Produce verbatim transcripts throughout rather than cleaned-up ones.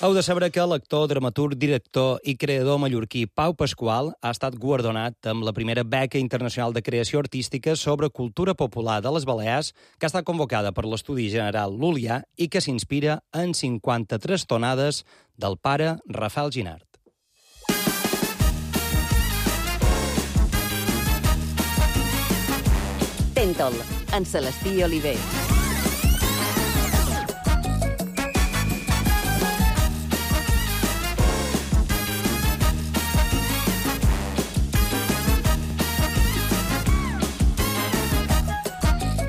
Heu de saber que l'actor, dramaturg, director i creador mallorquí Pau Pasqual ha estat guardonat amb la primera beca internacional de creació artística sobre cultura popular de les Balears, que ha estat convocada per l'Estudi General Lul·lià i que s'inspira en cinquanta-tres tonades del pare Rafael Ginart. Tentol, en Celestí Oliver.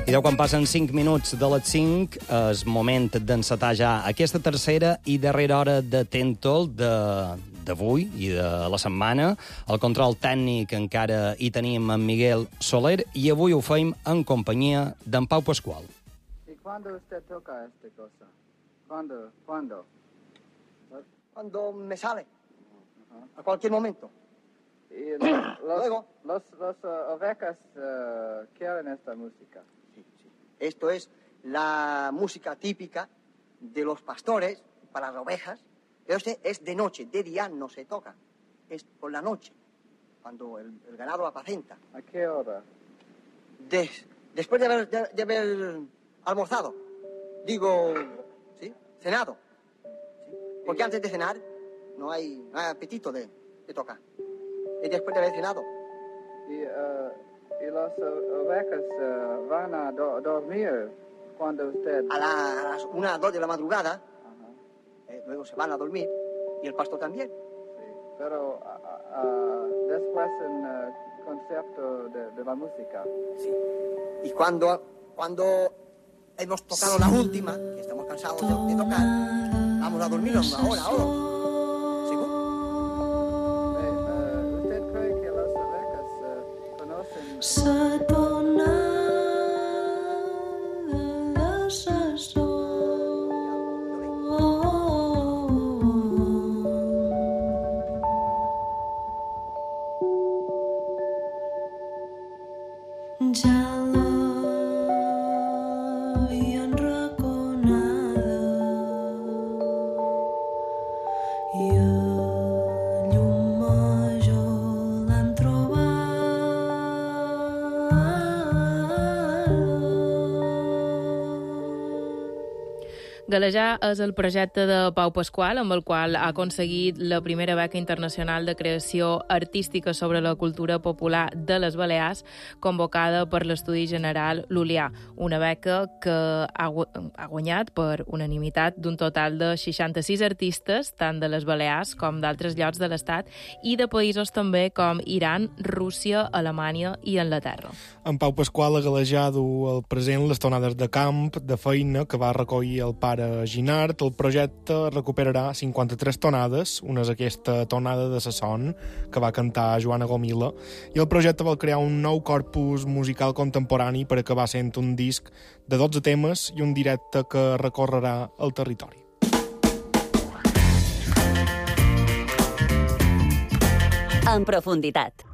I deu quan passen cinc minuts de les cinc, és moment d'encetar ja aquesta tercera i darrera hora de Tentol d'avui i de la setmana. El control tècnic encara hi tenim en Miguel Soler i avui ho feim en companyia d'en Pau Pasqual. ¿Y cuándo usted toca esta cosa? ¿Cuándo? ¿Cuándo? Cuando me sale, uh-huh. A cualquier momento. Y los, Luego. los, los uh, ovecas uh, quieren esta música. Sí, sí. Esto es la música típica de los pastores para las ovejas, pero este es de noche, de día no se toca, es por la noche, cuando el, el ganado apacenta. ¿A qué hora? Des, después de haber, de, de haber almorzado, digo, ¿sí? Cenado, ¿sí? Porque antes de cenar no hay, no hay apetito de, de tocar, es después de haber cenado. Y, uh, y las uh, ovecas uh, van a do dormir cuando usted... A, la, a las una o dos de la madrugada, uh-huh. eh, luego se van a dormir, y el pastor también. Sí, pero uh, uh, después en uh, concepto de, de la música. Sí. Y cuando, cuando hemos tocado la última, que estamos cansados de, de tocar, vamos a dormir una hora o dos. ¿Seguro? Eh, uh, ¿Usted cree que las ovecas uh, conocen... Galejar és el projecte de Pau Pasqual, amb el qual ha aconseguit la primera beca internacional de creació artística sobre la cultura popular de les Balears, convocada per l'Estudi General Lul·lià, una beca que ha, ha guanyat per unanimitat d'un total de seixanta-sis artistes, tant de les Balears com d'altres llocs de l'Estat, i de països també com Iran, Rússia, Alemanya i Anglaterra. En Pau Pasqual ha galejat el present les tonades de camp, de feina, que va recollir el pare Ginart. El projecte recuperarà cinquanta-tres tonades, una és aquesta tonada de sa son que va cantar Joana Gomila, i el projecte vol crear un nou corpus musical contemporani per acabar sent un disc de dotze temes i un directe que recorrerà el territori. En profunditat.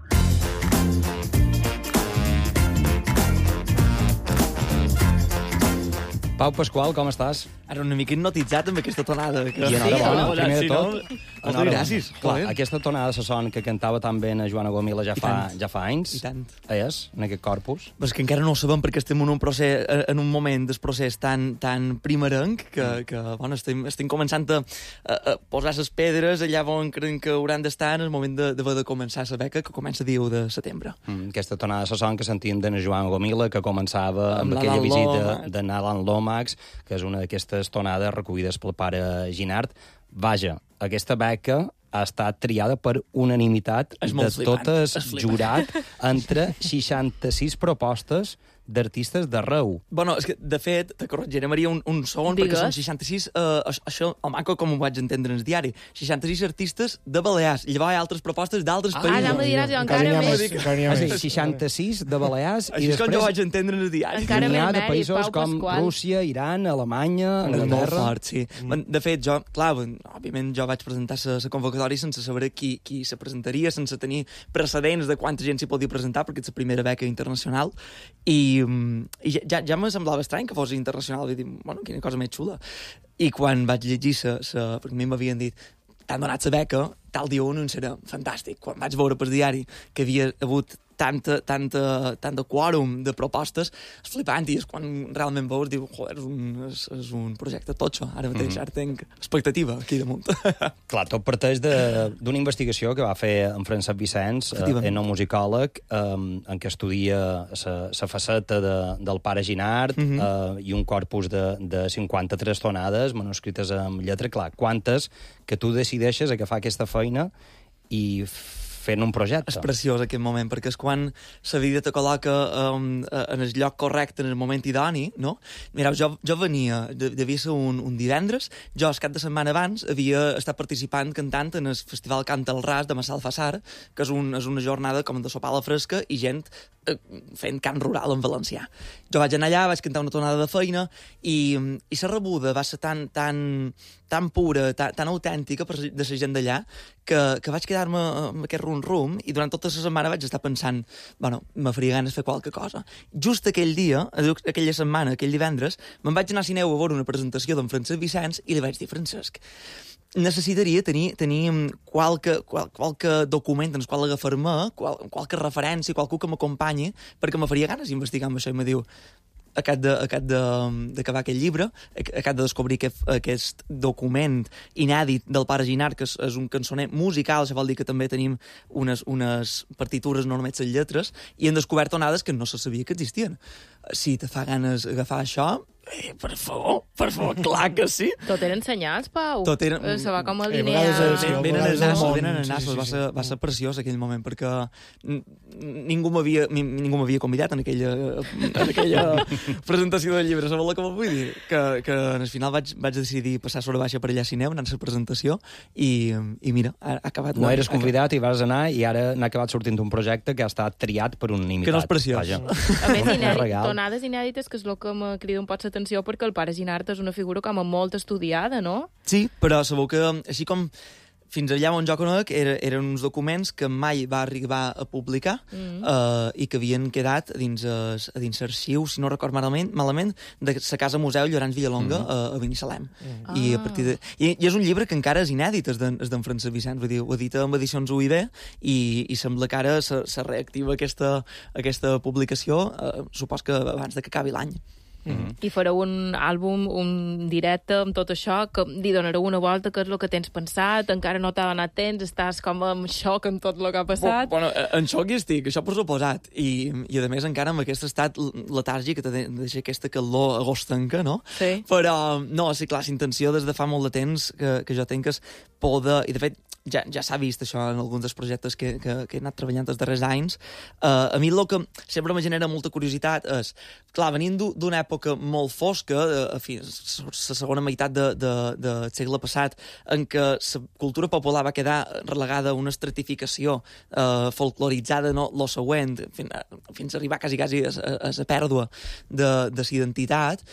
Pau Pasqual, com estàs? Ara una mica hipnotitzat amb aquesta tonada. Que... I enhorabona, sí, primer de tot. No... Moltes gràcies. Clar, aquesta tonada de son que cantava tan bé a Joana Gomila ja fa, ja fa anys. I tant. És, en aquest corpus. Però és que encara no ho sabem perquè estem en un, procés, en un moment del procés tan, tan primerenc que, que bueno, estem, estem començant a, a, a posar les pedres allà on creiem que hauran d'estar en el moment d'haver de, de començar la beca, que comença dia u de setembre. Mm, aquesta tonada de son que sentíem de Joana Gomila, que començava amb, amb aquella visita de Nalan Lomax, que és una d'aquestes tonades recollides pel pare Ginart. Vaja, aquesta beca ha estat triada per unanimitat de totes jurat entre seixanta-sis propostes d'artistes d'arreu. Bueno, és que, de fet, te corregiré, Maria, un, un segon, Digues. perquè són seixanta-sis, eh, això, el maco, com ho vaig entendre en el diari, seixanta-sis artistes de Balears, i llavors hi ha altres propostes d'altres Ah, països. ja me diràs, jo encara més. Ah, sí, seixanta-sis de Balears i Això és com jo vaig després entendre en el diari. Encara n'hi ha més de mèrit, països Pau com Pasqual. Rússia, Iran, Alemanya, És molt Anglaterra. fort, sí. Mm. De fet, jo, clar, òbviament jo vaig presentar la convocatòria sense saber qui, qui se presentaria, sense tenir precedents de quanta gent s'hi podia presentar, perquè és la primera beca internacional, i, i ja, ja me semblava estrany que fos internacional, i dir, bueno, quina cosa més xula. I quan vaig llegir, sa, sa, perquè a mi m'havien dit t'han donat la beca, tal dia un serà fantàstic. Quan vaig veure per diari que havia hagut tanta, tanta, tanta quòrum de propostes, és flipant, i és quan realment veus, diu, joder, és un, és, és un projecte totxo. Ara mateix, mm-hmm. ara tenc expectativa aquí damunt. Clar, tot parteix d'una investigació que va fer en Francesc Vicenç, eh, etnomusicòleg, eh, en què estudia la faceta de, del pare Ginard, mm-hmm. eh, i un corpus de, de cinquanta-tres tonades manuscrites amb lletra. Clar, quantes que tu decideixes agafar aquesta feina i fent un projecte. És preciós aquest moment, perquè és quan la vida te col·loca um, en el lloc correcte, en el moment idoni, no? Mireu, jo, jo venia, devia ser un, un divendres, jo el cap de setmana abans havia estat participant cantant en el Festival Canta al Ras de Massalfassar, que és, un, és una jornada com de sopar a la fresca i gent eh, fent cant rural en valencià. Jo vaig anar allà, vaig cantar una tonada de feina i, i la rebuda va ser tan, tan, tan pura, tan, tan autèntica per, de la gent d'allà, que, que vaig quedar-me amb aquest rum-rum i durant tota la setmana vaig estar pensant, bueno, me faria ganes fer qualque cosa. Just aquell dia, aquella setmana, aquell divendres, me'n vaig anar a Sineu a veure una presentació d'en Francesc Vicenç i li vaig dir, Francesc, necessitaria tenir, tenir qualque, qual, qualque document en el qual agafar-me, qual, qualque referència, qualcú que m'acompanyi, perquè me faria ganes investigar amb això. I me diu, acat d'acabar aquest llibre, acat de descobrir aquest, aquest document inèdit del pare Ginard, que és, és un cançoner musical, això vol dir que també tenim unes, unes partitures, no només les lletres, i hem descobert tonades que no se sabia que existien. Si te fa ganes agafar això, eh, per favor, per favor, clar que sí. Tot eren senyals, Pau. Tot eren... Se va com el Eh, diner... a vegades és- a- sí, Venen els el nassos, món, venen els sí, nassos. sí, Va sí. ser, va ser preciós aquell moment, perquè n- ningú m'havia ni- ningú m'havia convidat en aquella, en aquella presentació del llibre. Sabeu com ho vull dir? Que, que al final vaig, vaig decidir passar sobre baixa per allà a Sineu, anar a la presentació, i, i mira, ha, ha acabat... No eres convidat i vas anar i ara n'ha acabat sortint un projecte que ha estat triat per un imitat. Que no és preciós. Vaja. A més, Un inèdit, regal. tonades inèdites, que és el que me crida un pot l'atenció, perquè el pare Ginard és una figura com a molt estudiada, no? Sí, però sabeu que, així com fins allà on jo conec, era, eren uns documents que mai va arribar a publicar mm. eh, i que havien quedat dins, es, dins l'arxiu, si no record malament, malament de la Casa Museu Llorenç Villalonga mm. a, a Binissalem. Mm. I, a partir de, i, I és un llibre que encara és inèdit, és d'en Francesc Vicenç, vull dir, ho edita amb edicions U I B i, i sembla que ara se, se reactiva aquesta, aquesta publicació, eh, supos que abans de que acabi l'any. Mm-hmm. I fareu un àlbum, un directe amb tot això, que li donareu una volta, que és el que tens pensat, encara no t'ha donat temps, estàs com en xoc amb tot el que ha passat. Bueno, en xoc hi estic, això per suposat. I, i a més encara amb aquest estat letàrgic que te deixa aquesta calor agostenca, no? Sí. Però, no, sí, clar, la intenció des de fa molt de temps que, que jo tenc és poder... I, de fet, ja, ja s'ha vist això en alguns dels projectes que, que, que he anat treballant els darrers anys. Uh, a mi el que sempre me genera molta curiositat és, clar, venint d'una època molt fosca, a fi, la segona meitat de, de, del segle passat, en què la cultura popular va quedar relegada a una estratificació uh, folcloritzada, no, lo següent, fins, fins a arribar quasi, quasi a, a, a la pèrdua de, de la identitat.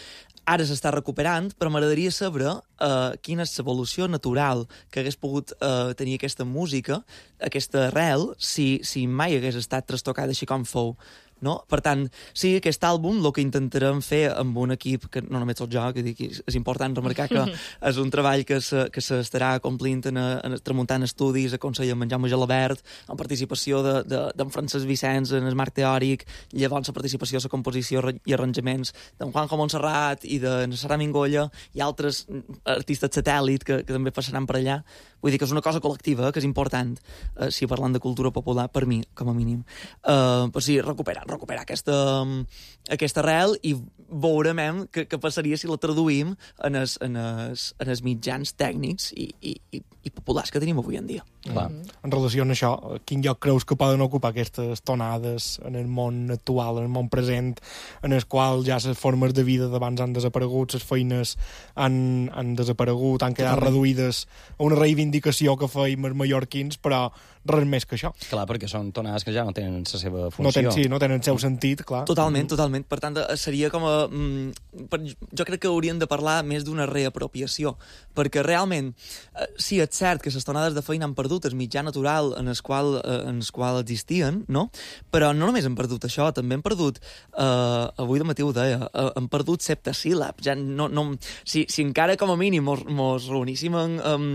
Ara s'està recuperant, però m'agradaria saber uh, quina és l'evolució natural que hagués pogut uh, tenir aquesta música, aquesta arrel, si, si mai hagués estat trastocada així com fou. No? Per tant, sí, aquest àlbum el que intentarem fer amb un equip que no només soc jo, que dic, és important remarcar que és un treball que se, que s'estarà complint en, en tramuntant estudis, a Consell amb en Jaume Gelabert, amb participació d'en de, de, Francesc Vicenç en el marc teòric, llavors la participació a la composició i arranjaments d'en Juanjo Montserrat i de Sara Mingolla i altres artistes satèl·lit que, que també passaran per allà. Vull dir que és una cosa col·lectiva, que és important, eh, si parlant de cultura popular, per mi, com a mínim. Eh, però sí, recuperar, recuperar aquesta, aquesta arrel i veurem què, què passaria si la traduïm en els, en els, en els mitjans tècnics i, i, i, i populars que tenim avui en dia. Clar. En relació amb això, quin lloc creus que poden ocupar aquestes tonades en el món actual, en el món present, en el qual ja les formes de vida d'abans han desaparegut, les feines han, han desaparegut, han quedat Totalment. reduïdes a una reivindicació que feim els mallorquins, però res més que això. Clar, perquè són tonades que ja no tenen la seva funció. No tenen, sí, no tenen el seu sentit, clar. Totalment, totalment. Per tant, seria com a... Mm, per, jo crec que hauríem de parlar més d'una reapropiació, perquè realment, eh, sí, és cert que les tonades de feina han perdut perdut el mitjà natural en el qual, eh, en el qual existien, no? Però no només hem perdut això, també hem perdut, eh, avui de matí ho deia, eh, hem perdut septasíl·labs. Ja no, no, si, si encara com a mínim mos, mos reuníssim en, um,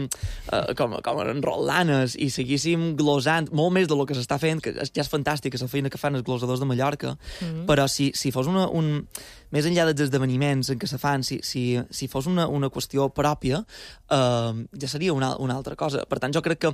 eh, com, com en rotlanes i seguíssim glosant molt més del que s'està fent, que ja és fantàstic, la feina que fan els glosadors de Mallorca, mm-hmm. però si, si fos una, un... més enllà dels esdeveniments en què se fan, si, si, si fos una, una qüestió pròpia, eh, ja seria una, una altra cosa. Per tant, jo crec que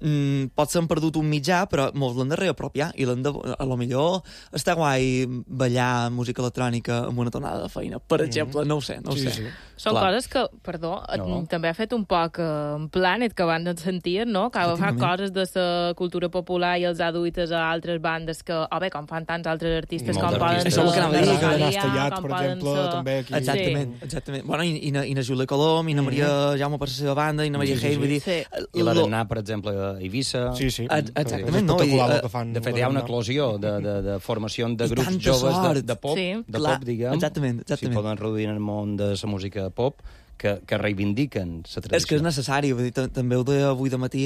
mm, pot ser perdut un mitjà, però molts l'han de reapropiar, i l'han de... A lo millor està guai ballar música electrònica amb una tonada de feina, per exemple, no ho sé, no ho sí, sé. Sí. Són Clar. coses que, perdó, No. també ha fet un poc eh, en Planet, que van sentir, no? Que fa coses de la cultura popular i els ha duites a altres bandes que, o bé, com fan tants altres artistes, Molts com poden artistes. ser... Això és el que anava a dir, que l'Anna Estellat, per exemple, també aquí. Exactament, Sí. exactament. Bueno, i, i, na, i na Júlia Colom, i na Maria Jaume per la seva banda, i na Maria Sí, sí, Hein, vull dir... Sí. I la lo- d'anar, per exemple, a Eivissa... Sí, sí. Ex- exactament, És no? espectacular I, el que fan. De fet, hi ha una eclosió de, de, de formació de I grups tanta joves de, sort. de pop, Sí. de Clar, pop, diguem. exactament, exactament. Si poden reduir en el món de la música pop, que, que reivindiquen la tradició. És que és necessari, vull dir, t- també ho deia avui de matí.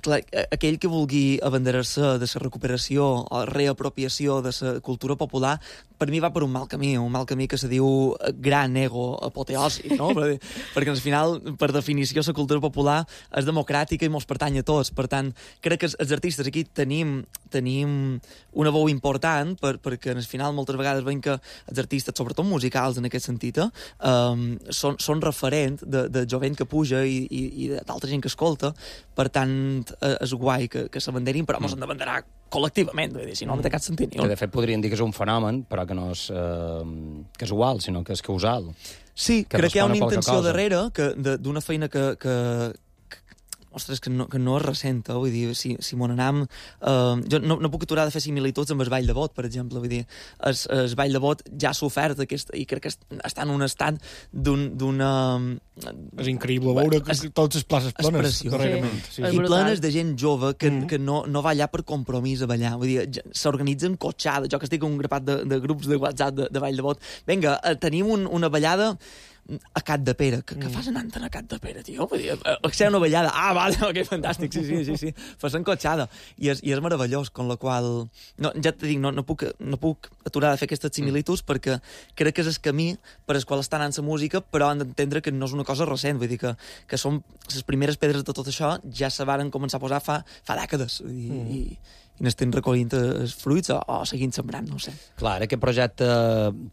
Clar, aquell que vulgui abanderar-se de la recuperació o reapropiació de la cultura popular, per mi va per un mal camí, un mal camí que se diu gran ego apoteosi, no? Perquè, perquè al final, per definició, la cultura popular és democràtica i mos pertany a tots. Per tant, crec que els artistes aquí tenim, tenim una veu important, per, perquè al final moltes vegades veiem que els artistes, sobretot musicals en aquest sentit, eh, um, són, són referent de, de jovent que puja i, i, i d'altra gent que escolta. Per tant, és guai que, que s'abanderin, però mos han d'abanderar col·lectivament, vull dir, si no, no té cap sentit ni Que, un. de fet, podrien dir que és un fenomen, però que no és eh, casual, sinó que és causal. Sí, que crec que hi ha una respon a qualque intenció cosa. darrere que, de, d'una feina que, que, que ostres, que no, que no és recent, eh? Vull dir, si, si m'on anam... Eh, jo no, no puc aturar de fer similituds amb el Ball de Bot, per exemple, vull dir, el, el Ball de Bot ja s'ha ofert aquest, i crec que està en un estat d'un, d'una... És increïble veure que És- totes les places és plenes, preciós. darrerament. Sí. Sí, És sí. I brutal. plenes de gent jove que, Mm. que no, no va allà per compromís a ballar. Vull dir, ja- s'organitzen cotxades. Jo que estic en un grapat de, de grups de WhatsApp de, de Ball de Bot. Vinga, eh, tenim un, una ballada a Cat de Pere. Que, que fas anant a Cat de Pere, tio? Vull dir, eh, ser una ballada. Ah, vale, ok, fantàstic, sí, sí, sí, sí. Fas encotxada. I és, i és meravellós, con la qual... No, ja te dic, no, no, puc, no puc aturar de fer aquestes similituds mm. perquè crec que és el camí per al qual està anant la música, però han d'entendre que no és una cosa recent. Vull dir que, que són les primeres pedres de tot això ja se varen començar a posar fa, fa dècades. Vull dir, mm. i, i n'estem recollint els fruits o, o seguint sembrant, no ho sé. Clar, aquest projecte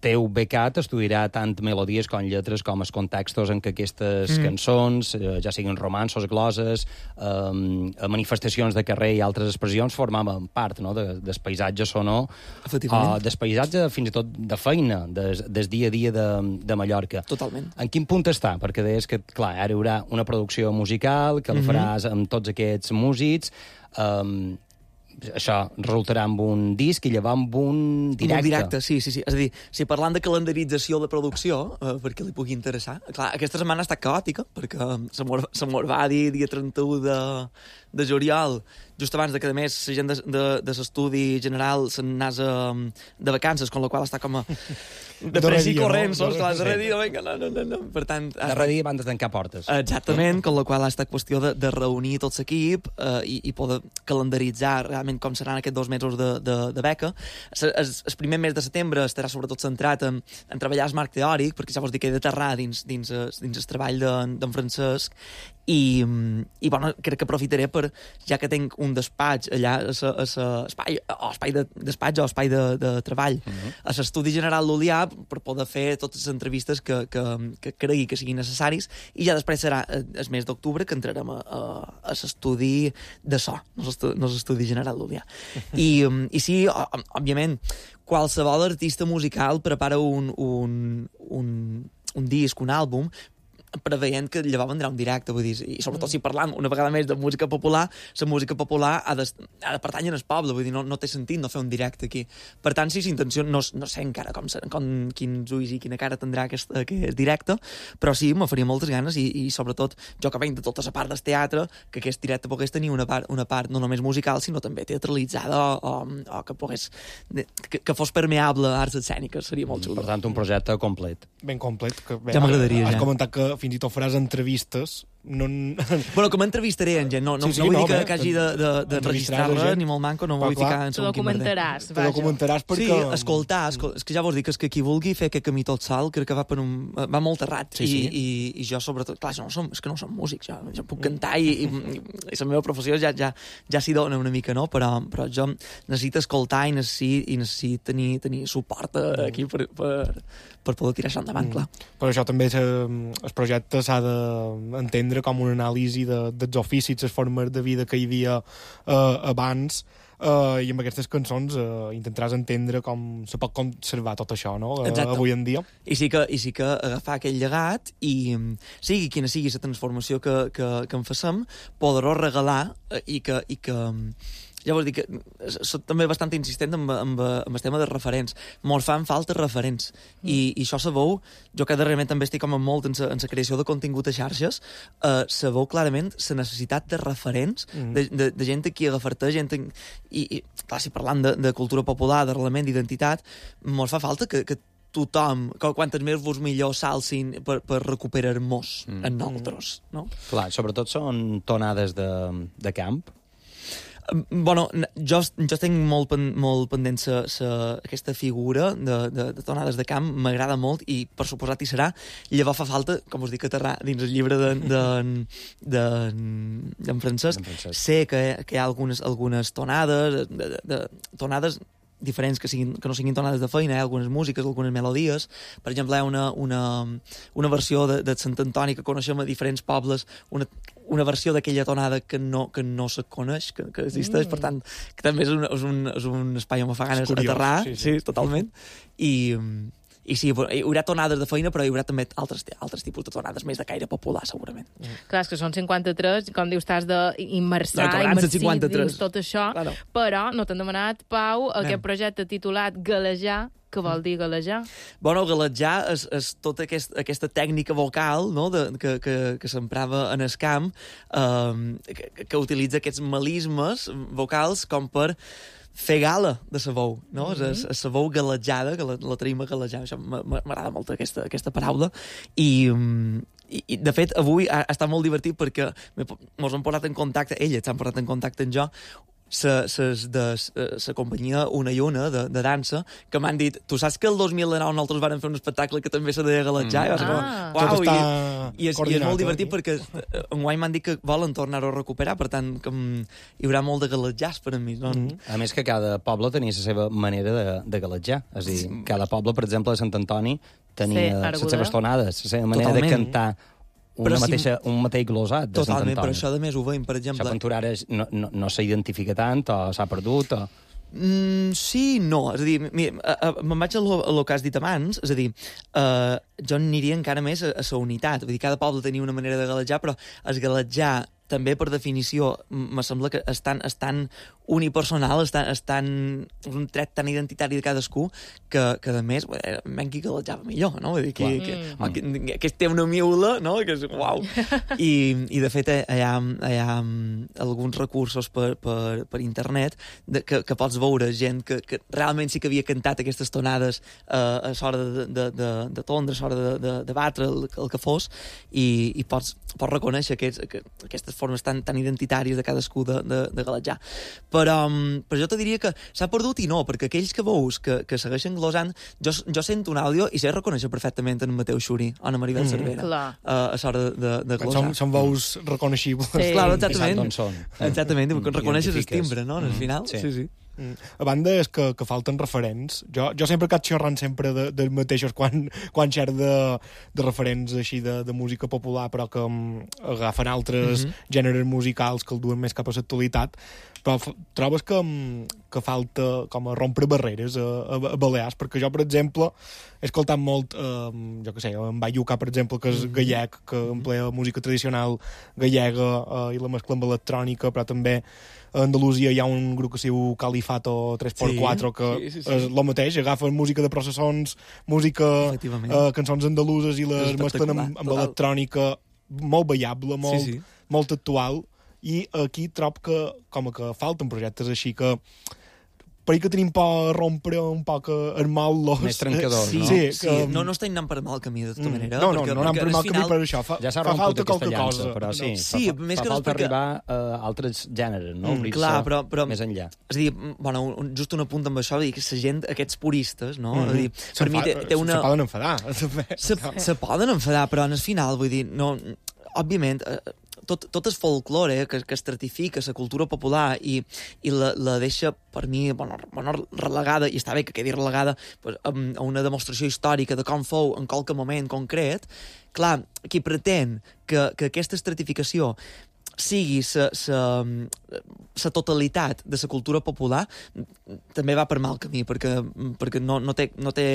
teu becat estudiarà tant melodies com lletres com els contextos en què aquestes mm. cançons, eh, ja siguin romanços, gloses, eh, manifestacions de carrer i altres expressions, formaven part, no?, de, del paisatge sonor, Efectivament. o del paisatge fins i tot de feina, des, des dia a dia de, de Mallorca. Totalment. En quin punt està? Perquè deies que, clar, ara hi haurà una producció musical, que la faràs amb tots aquests músics, um, això resultarà amb un disc i llavors amb un directe. Molt directe, sí, sí, sí. És a dir, si parlant de calendarització de producció, eh, perquè li pugui interessar, clar, aquesta setmana ha estat caòtica, perquè se mos, se mos va dir dia trenta-u de, de juliol, just abans de que, a més, la gent de, de, de l'estudi general se'n anàs de vacances, con la qual està com a... de pressa i dia, corrents, no? no? Clar, de dia, vinga, no, no, no, no. Per tant... ha Darrere dia van de tancar portes. Exactament, con la qual ha estat qüestió de, de reunir tot l'equip eh, i, i poder calendaritzar realment com seran aquests dos mesos de, de, de beca. El, el primer mes de setembre estarà sobretot centrat en, en treballar el marc teòric, perquè ja vos dic que he d'aterrar dins, dins, el- dins el treball d'en de, Francesc, i, i bueno, crec que aprofitaré per, ja que tinc un despatx allà, a sa, a sa espai, o espai de despatx o espai de, de treball, uh -huh. a l'Estudi General d'Olià, per poder fer totes les entrevistes que, que, que cregui que siguin necessaris, i ja després serà el mes d'octubre que entrarem a, a, a l'estudi de so, no l'estudi, no l'Estudi General d'Olià. I, I sí, ó- òbviament, qualsevol artista musical prepara un, un, un, un disc, un àlbum, preveient que llavors vendrà un directe, vull dir, i sobretot si parlam una vegada més de música popular, la música popular ha de, ha de pertànyer al poble, vull dir, no, no té sentit no fer un directe aquí. Per tant, si s'intenció, no, no sé encara com, serà, com quins ulls i quina cara tindrà aquest, aquest directe, però sí, me faria moltes ganes i, i sobretot, jo que venc de tota la part del teatre, que aquest directe pogués tenir una part, una part no només musical, sinó també teatralitzada o, o, o que pogués que, que fos permeable a arts escèniques, seria molt xulo. Per tant, un projecte complet. Ben complet. Que, bé, Ja m'agradaria, has ja. comentat que fins i tot faràs entrevistes no... Bueno, que m'entrevistaré en gent, no, no, Sí, sí, no vull no, dir que, bé, que hagi de, de, de entrevistaràs registrar la res, gent. ni molt manco, no Però, vull clar, ficar en Te segon quin merder. documentaràs, Te vaja. documentaràs perquè... Sí, escoltar, escol... és que ja vols dir que, és que qui vulgui fer aquest camí tot salt, crec que va per un... va molt errat. Sí, sí. I, i, I jo, sobretot, clar, jo no som, és que no som músics, jo, jo puc cantar i, i, i la meva professió ja, ja, ja s'hi dona una mica, no? Però, però jo necessito escoltar i necessito, i necessito tenir, tenir suport aquí per, per, per poder tirar això endavant, clar. Per això també se, el projecte s'ha d'entendre com una anàlisi de, dels oficis, les formes de vida que hi havia eh, abans, eh, i amb aquestes cançons eh, intentaràs entendre com se pot conservar tot això, no? Eh, Exacte. avui en dia. I sí que, i sí que agafar aquell llegat i, sigui quina sigui la transformació que, que, que en façem, poder-ho regalar eh, i que... I que ja vols dir que soc també bastant insistent amb, amb, amb el tema de referents. Mos fan falta referents. Mm. I, I això sabeu, jo que darrerament també estic com molt en la creació de contingut a xarxes, eh, sabeu clarament la necessitat de referents, mm. de, de, de gent aquí agafar-te, gent... En, i, i, clar, si parlant de, de cultura popular, d'arrelament, d'identitat, mos fa falta que, que tothom, que quantes més vos millor s'alcin per, per recuperar-nos mm. en nosaltres, no? Clar, sobretot són tonades de, de camp. Bueno, jo, jo estic molt, pen, molt pendent sa, sa, aquesta figura de, de, de tonades de camp, m'agrada molt i per suposat hi serà. Llavors fa falta, com us dic, aterrar dins el llibre d'en de, de, de, Francesc. Francesc. Sé que, que hi ha algunes, algunes tonades, de, de, de, tonades diferents que, siguin, que no siguin tonades de feina, hi ha algunes músiques, algunes melodies. Per exemple, hi ha una, una, una versió de, de Sant Antoni que coneixem a diferents pobles, una, una versió d'aquella tonada que no, que no se coneix, que, que existeix, mm. per tant, que també és un, és un, és un espai on me fa ganes d'aterrar, sí, sí. sí, totalment. I, i sí, hi haurà tonades de feina, però hi haurà també altres, altres tipus de tonades més de caire popular, segurament. Mm. Clar, és que són cinquanta-tres, com dius, t'has d'immersar, no, immersir dins tot això, claro. Però no t'han demanat, Pau, Anem. aquest projecte titulat Galejar. Què vol dir galejar? Bueno, galejar és, és tota aquest, aquesta tècnica vocal, no?, de, que, que, que s'emprava en el camp, eh, que, que utilitza aquests melismes vocals com per fer gala de sa veu, no? Mm -hmm. És sa veu galejada, que la, la traïm a galejar. Això m'agrada molt aquesta, aquesta paraula. I... I, i, de fet, avui ha, ha estat molt divertit perquè mos han posat en contacte, elles s'han posat en contacte amb jo, sa, ses de la companyia Una i Una, de, de dansa, que m'han dit, tu saps que el dos mil nou nosaltres vam fer un espectacle que també se deia galejar? Mm. I, ah. uau, Tot està i, i, és, i és molt divertit eh? perquè enguany m'han dit que volen tornar-ho a recuperar, per tant, que hi haurà molt de galejars per a mi. No? Mm. A més que cada poble tenia la seva manera de, de galejar. És a dir, cada poble, per exemple, a Sant Antoni, tenia sí, les seves tonades, la seva manera Totalment. de cantar una si... mateixa, un mateix glosat de Sant Totalment, Antoni. però això de més ho veiem, per exemple... Això Ventura ara no, no, no s'identifica tant, o s'ha perdut, o... Mm, sí, no. És a dir, mira, me'n vaig a lo, a lo que has dit abans, és a dir, uh, jo aniria encara més a, a la unitat. Vull dir, cada poble tenia una manera de galejar, però es galejar també, per definició, me sembla que és tan, és tan unipersonal, és tan, és tan un tret tan identitari de cadascú que, que a més, menys qui galejava millor, no? Vull dir, que, que, mm. que, que, que té una miula, no? Que és, uau! I, i de fet, hi ha, hi ha alguns recursos per, per, per internet de, que, que pots veure gent que, que realment sí que havia cantat aquestes tonades uh, a l'hora de, de, de, de tondre, a l'hora de, de, de batre, el, el que fos, i, i pots, pots reconèixer aquests, aquestes formes tan, tan identitàries de cadascú de, de, de galejar. Però, però jo te diria que s'ha perdut i no, perquè aquells que veus que, que segueixen glosant, jo, jo sento un àudio i sé reconèixer perfectament en Mateu Xuri o en Maribel mm. Cervera uh, a l'hora de, de glosar. Són, són veus reconeixibles. Sí. Claro, exactament. I són. Exactament, mm. reconeixes el Identifiques. timbre, no?, al final. Sí, sí. sí. Mm. A banda és que, que falten referents. Jo, jo sempre cap xerrant sempre de, dels mateixos quan, quan xer de, de referents així de, de música popular, però que um, agafen altres mm-hmm. gèneres musicals que el duen més cap a l'actualitat. Però trobes que, que falta com a rompre barreres a, a, a Balears, perquè jo, per exemple, he escoltat molt, eh, jo què sé, en Bayuca, per exemple, que és gallec, que emplea música tradicional gallega eh, i la mescla amb electrònica, però també a Andalusia hi ha un grup que es diu Califato tres per quatre, sí, que sí, sí, sí. és el mateix, agafen música de processons, música, eh, cançons andaluses i les mesclen amb, amb electrònica molt ballable, molt, sí, sí. molt actual, i aquí trob que com que falten projectes així que per que tenim por rompre un poc el mal-los. Més trencadors, sí, no? Sí, sí, que... no, no estem anant per mal camí, de tota Mm. manera. No, no, perquè, no anem per mal camí final... per això. Fa, Ja s'ha fa romput falta aquesta qualque llança, cosa. però sí, Sí, fa, més fa que res falta perquè- arribar a altres gèneres, no? Mm, Obrir-se clar, però, però, més enllà. És a dir, bueno, un- just un apunt amb això, dir que la gent, aquests puristes, no? Mm. És a dir, per mi té, té una... Se poden enfadar. Se, se poden enfadar, però en el final, vull dir, no, òbviament, eh, tot, tot el folklore eh, que, que estratifica la cultura popular i, i la, la deixa, per mi, bueno, bueno, relegada, i està bé que quedi relegada pues, a, a una demostració històrica de com fou en qualque moment concret, clar, qui pretén que, que aquesta estratificació sigui la totalitat de la cultura popular, també va per mal camí, perquè, perquè no, no té, no té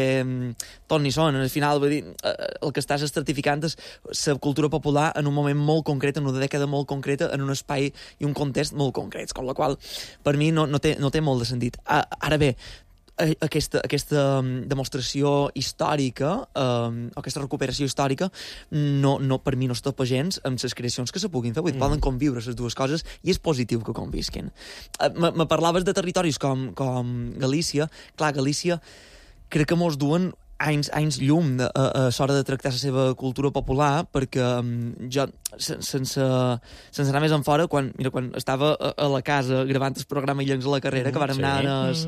ton ni son. Al final, vull dir, el que estàs estratificant és la cultura popular en un moment molt concret, en una dècada molt concreta, en un espai i un context molt concrets, com la qual per mi no, no, té, no té molt de sentit. Ara bé, aquesta, aquesta demostració històrica, eh, aquesta recuperació històrica, no, no, per mi no es topa gens amb les creacions que se puguin fer. Vull dir, mm. poden conviure les dues coses i és positiu que convisquin. Eh, me, me parlaves de territoris com, com Galícia. Clar, Galícia crec que mos duen anys, anys llum de, a, a l'hora de tractar la seva cultura popular, perquè um, jo, sense, sense anar més en fora, quan, mira, quan estava a, a la casa gravant el programa Illencs a la carrera, que vàrem sí. anar en es,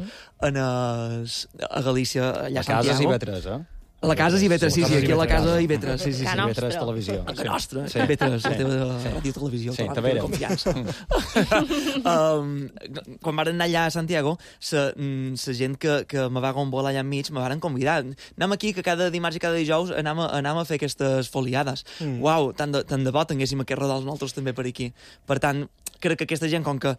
en es, a Galícia, allà a Santiago. A casa i vetres, eh? A la casa i Vetres, sí, sí, aquí a la casa i Vetres, sí, sí, sí. Ca Vetres Televisió. A la nostra, sí. Vetres, sí. la teva ràdio televisió, sí, la teva confiança. um, quan varen anar allà a Santiago, la gent que, que me va gombolar allà enmig me varen convidar. Anem aquí, que cada dimarts i cada dijous anem a, anem a fer aquestes foliades. Mm. Uau, tant de, tant de bo tinguéssim aquest rodal nosaltres també per aquí. Per tant, crec que aquesta gent, com que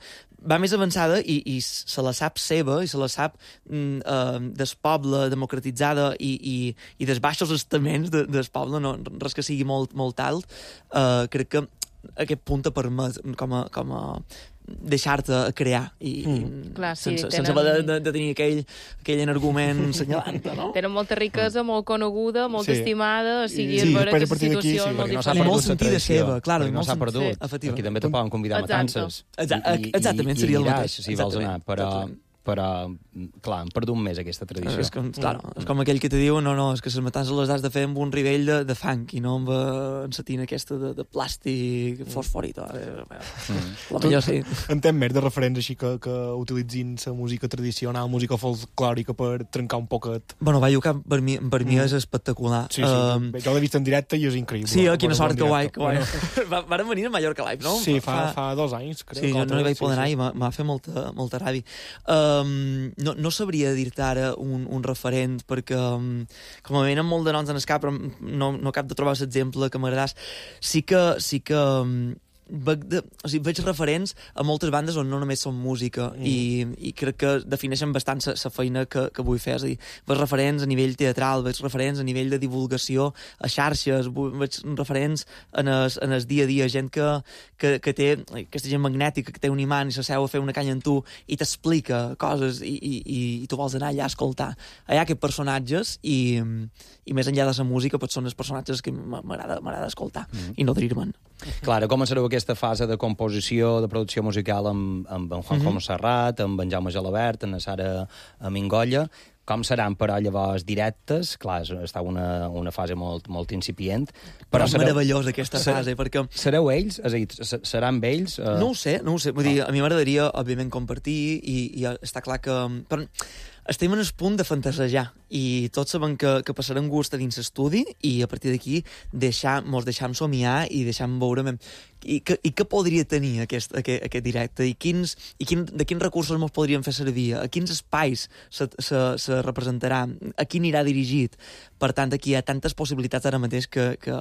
va més avançada i, i se la sap seva, i se la sap mm, uh, des poble, democratitzada i, i, i dels baixos estaments de, del poble, no, res que sigui molt, molt alt, uh, crec que aquest punt te permet com a, com a deixar-te crear i, mm. Clar, sí, sense, tenen... sense haver de, de tenir aquell, aquell argument senyalant, no? Tenen molta riquesa, molt coneguda, molt sí. estimada, o sigui, sí, és vera que la situació sí, és molt no diferent. I molt sentida seva, clar. No s'ha perdut. Sí. Aquí també te poden convidar a matances. Exacte, exactament, seria el mateix. Si vols anar, però... però, clar, han perdut més aquesta tradició. És com, clar, és com aquell que te diu no, no, és que les matances les has de fer amb un nivell de, de fang i no amb la tina aquesta de, de plàstic fosforito. Mm. La millor sí. Entenc més de referents així que, que utilitzin la música tradicional, música folclòrica per trencar un poquet. Bueno, va, jo que per mi, per mi mm. és espectacular. Sí, sí, um, jo l'he vist en directe i és increïble. Sí, quina sort, que guai, que guai. Bueno. Varen venir a Mallorca Live, no? Sí, fa, fa, fa dos anys, crec. Sí, jo no hi vaig poder sí, anar sí. i m'ha fet molta, molta ràbia. Um, no, no sabria dir-te ara un, un referent, perquè um, com a venen molt de noms en el cap, però no, no cap de trobar l'exemple que m'agradàs. Sí que, sí que um, veig, de, o sigui, veig referents a moltes bandes on no només són música mm. i, i crec que defineixen bastant la feina que, que vull fer. És a dir, veig referents a nivell teatral, veig referents a nivell de divulgació a xarxes, veig referents en el, en el dia a dia, gent que, que, que té aquesta gent magnètica, que té un imant i s'asseu a fer una canya amb tu i t'explica coses i, i, i, i tu vols anar allà a escoltar. Hi ha aquests personatges i, i més enllà de la música potser són els personatges que m'agrada escoltar mm. i no dir-me'n. Clar, començareu aquesta fase de composició, de producció musical amb, amb en Juanjo mm-hmm. Serrat, amb en Jaume Gelabert, amb la Sara Mingolla. Com seran, però, llavors directes? Clar, està una, una fase molt, molt incipient. Però, però és sereu... meravellosa aquesta fase, perquè... Sereu ells? És a dir, seran ells? Uh... No ho sé, no ho sé. Vull dir, a mi m'agradaria, òbviament, compartir i, i està clar que... Però estem en el punt de fantasejar i tots sabem que, que passarem gust a dins l'estudi i a partir d'aquí deixar, mos deixam somiar i deixam veure i, que, i què podria tenir aquest, aquest, aquest directe i, quins, i quin, de quins recursos mos podríem fer servir, a quins espais se, se, se representarà, a qui anirà dirigit. Per tant, aquí hi ha tantes possibilitats ara mateix que, que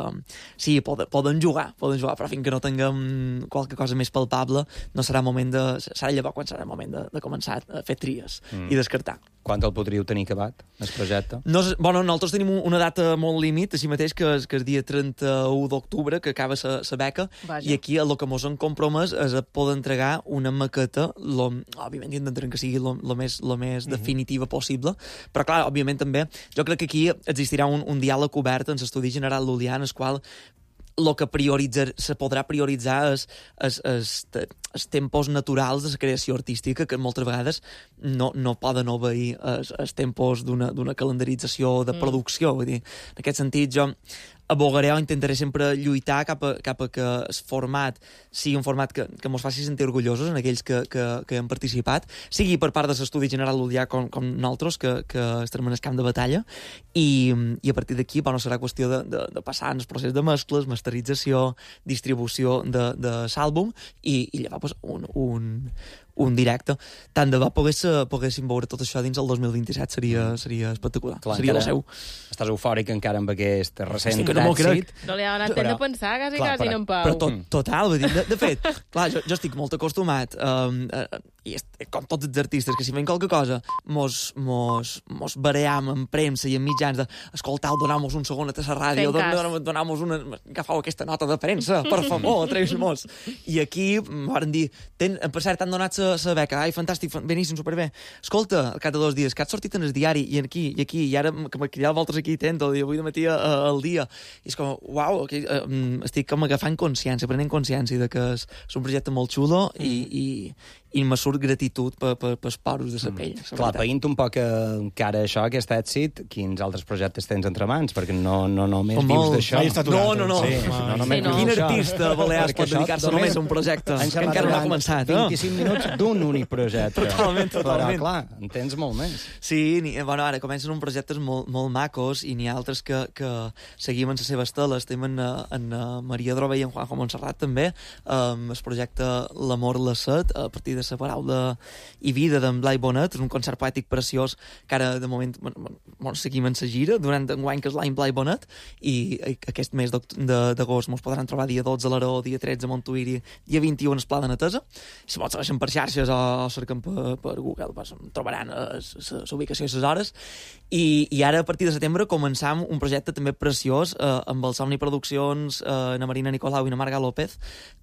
sí, poden, poden jugar, poden jugar, però fins que no tinguem qualque cosa més palpable no serà moment de... serà llavors quan serà el moment de, de començar a fer tries mm. i descartar. Quan el podríeu tenir acabat, el projecte? No, bueno, nosaltres tenim una data molt límit, així mateix, que és, que és dia trenta-u d'octubre, que acaba la beca, Vaja. I aquí el que mos han compromès és a poder entregar una maqueta, lo, òbviament intentarem que sigui el més, lo més mm-hmm. definitiva possible, però clar, òbviament també, jo crec que aquí existirà un, un diàleg obert en l'Estudi General Lul·lià, en el qual el que prioritza, se podrà prioritzar és els, els, els tempos naturals de la creació artística, que moltes vegades no, no poden obeir els, els tempos d'una calendarització de producció. Vull dir, en aquest sentit, jo abogaré o intentaré sempre lluitar cap a, cap a que el format sigui un format que, que mos faci sentir orgullosos en aquells que, que, que hem participat, sigui per part de l'Estudi General Ludià com, com nosaltres, que, que estem en el camp de batalla, i, i a partir d'aquí bueno, serà qüestió de, de, de passar en el procés de mescles, masterització, distribució de, de l'àlbum, i, i llavors pues, un, un, un directe. Tant de bo pogués, poguéssim veure tot això dins el dos mil vint-i-set, seria, seria espectacular. Clar, seria el seu. Estàs eufòric encara amb aquest recent sí, que no èxit. No li ha donat temps de pensar, quasi, clar, quasi, però, en Pau. Però tot, total, vull dir, de, de fet, clar, jo, jo estic molt acostumat, um, uh, i est, com tots els artistes, que si fem qualque cosa, mos, mos, mos baream en premsa i en mitjans de escoltau, donau-mos un segon a la ràdio, donau-mos una... agafau aquesta nota de premsa, per favor, atreveix-mos. I aquí van dir, ten, per cert, t'han donat la beca, ai, fantàstic, beníssim, superbé. Escolta, al cap de dos dies, que has sortit en el diari, i aquí, i aquí, i ara que m'he cridat voltes aquí, tento, i avui de matí al dia. I és com, uau, okay, uh, estic com agafant consciència, prenent consciència de que és, és un projecte molt xulo i, i, i me surt gratitud per, per, per poros de la pell. Mm. Clar, païnt un poc encara això, aquest èxit, quins altres projectes tens entre mans? Perquè no, no només Com vius molt. d'això. No, no, no. Sí, no, només Sí, no. Quin vius d'això. artista balear pot dedicar-se només a un projecte? Que encara no ha començat, no? vint-i-cinc minuts d'un únic projecte. Totalment, totalment. Però, clar, en tens molt més. Sí, ni, bueno, ara comencen uns projectes molt, molt macos i n'hi ha altres que, que seguim en la seva estela. Estem en, en Maria Droba i en Juanjo Montserrat també, um, el projecte L'amor la set, a partir de la paraula i vida d'en Blai Bonet, és un concert poètic preciós que ara de moment bueno, seguim en sa gira durant enguany, que és l'any Blai Bonet, i aquest mes d'agost mos podran trobar dia dotze a l'Aró, dia tretze a Montuïri, dia vint-i-u en el Pla de Netesa. Si vols segueixen per xarxes o cerquen per, per Google, pues, trobaran la ubicació i les hores. I, I ara, a partir de setembre, començam un projecte també preciós eh, amb el Somni Produccions, eh, na Marina Nicolau i na Marga López,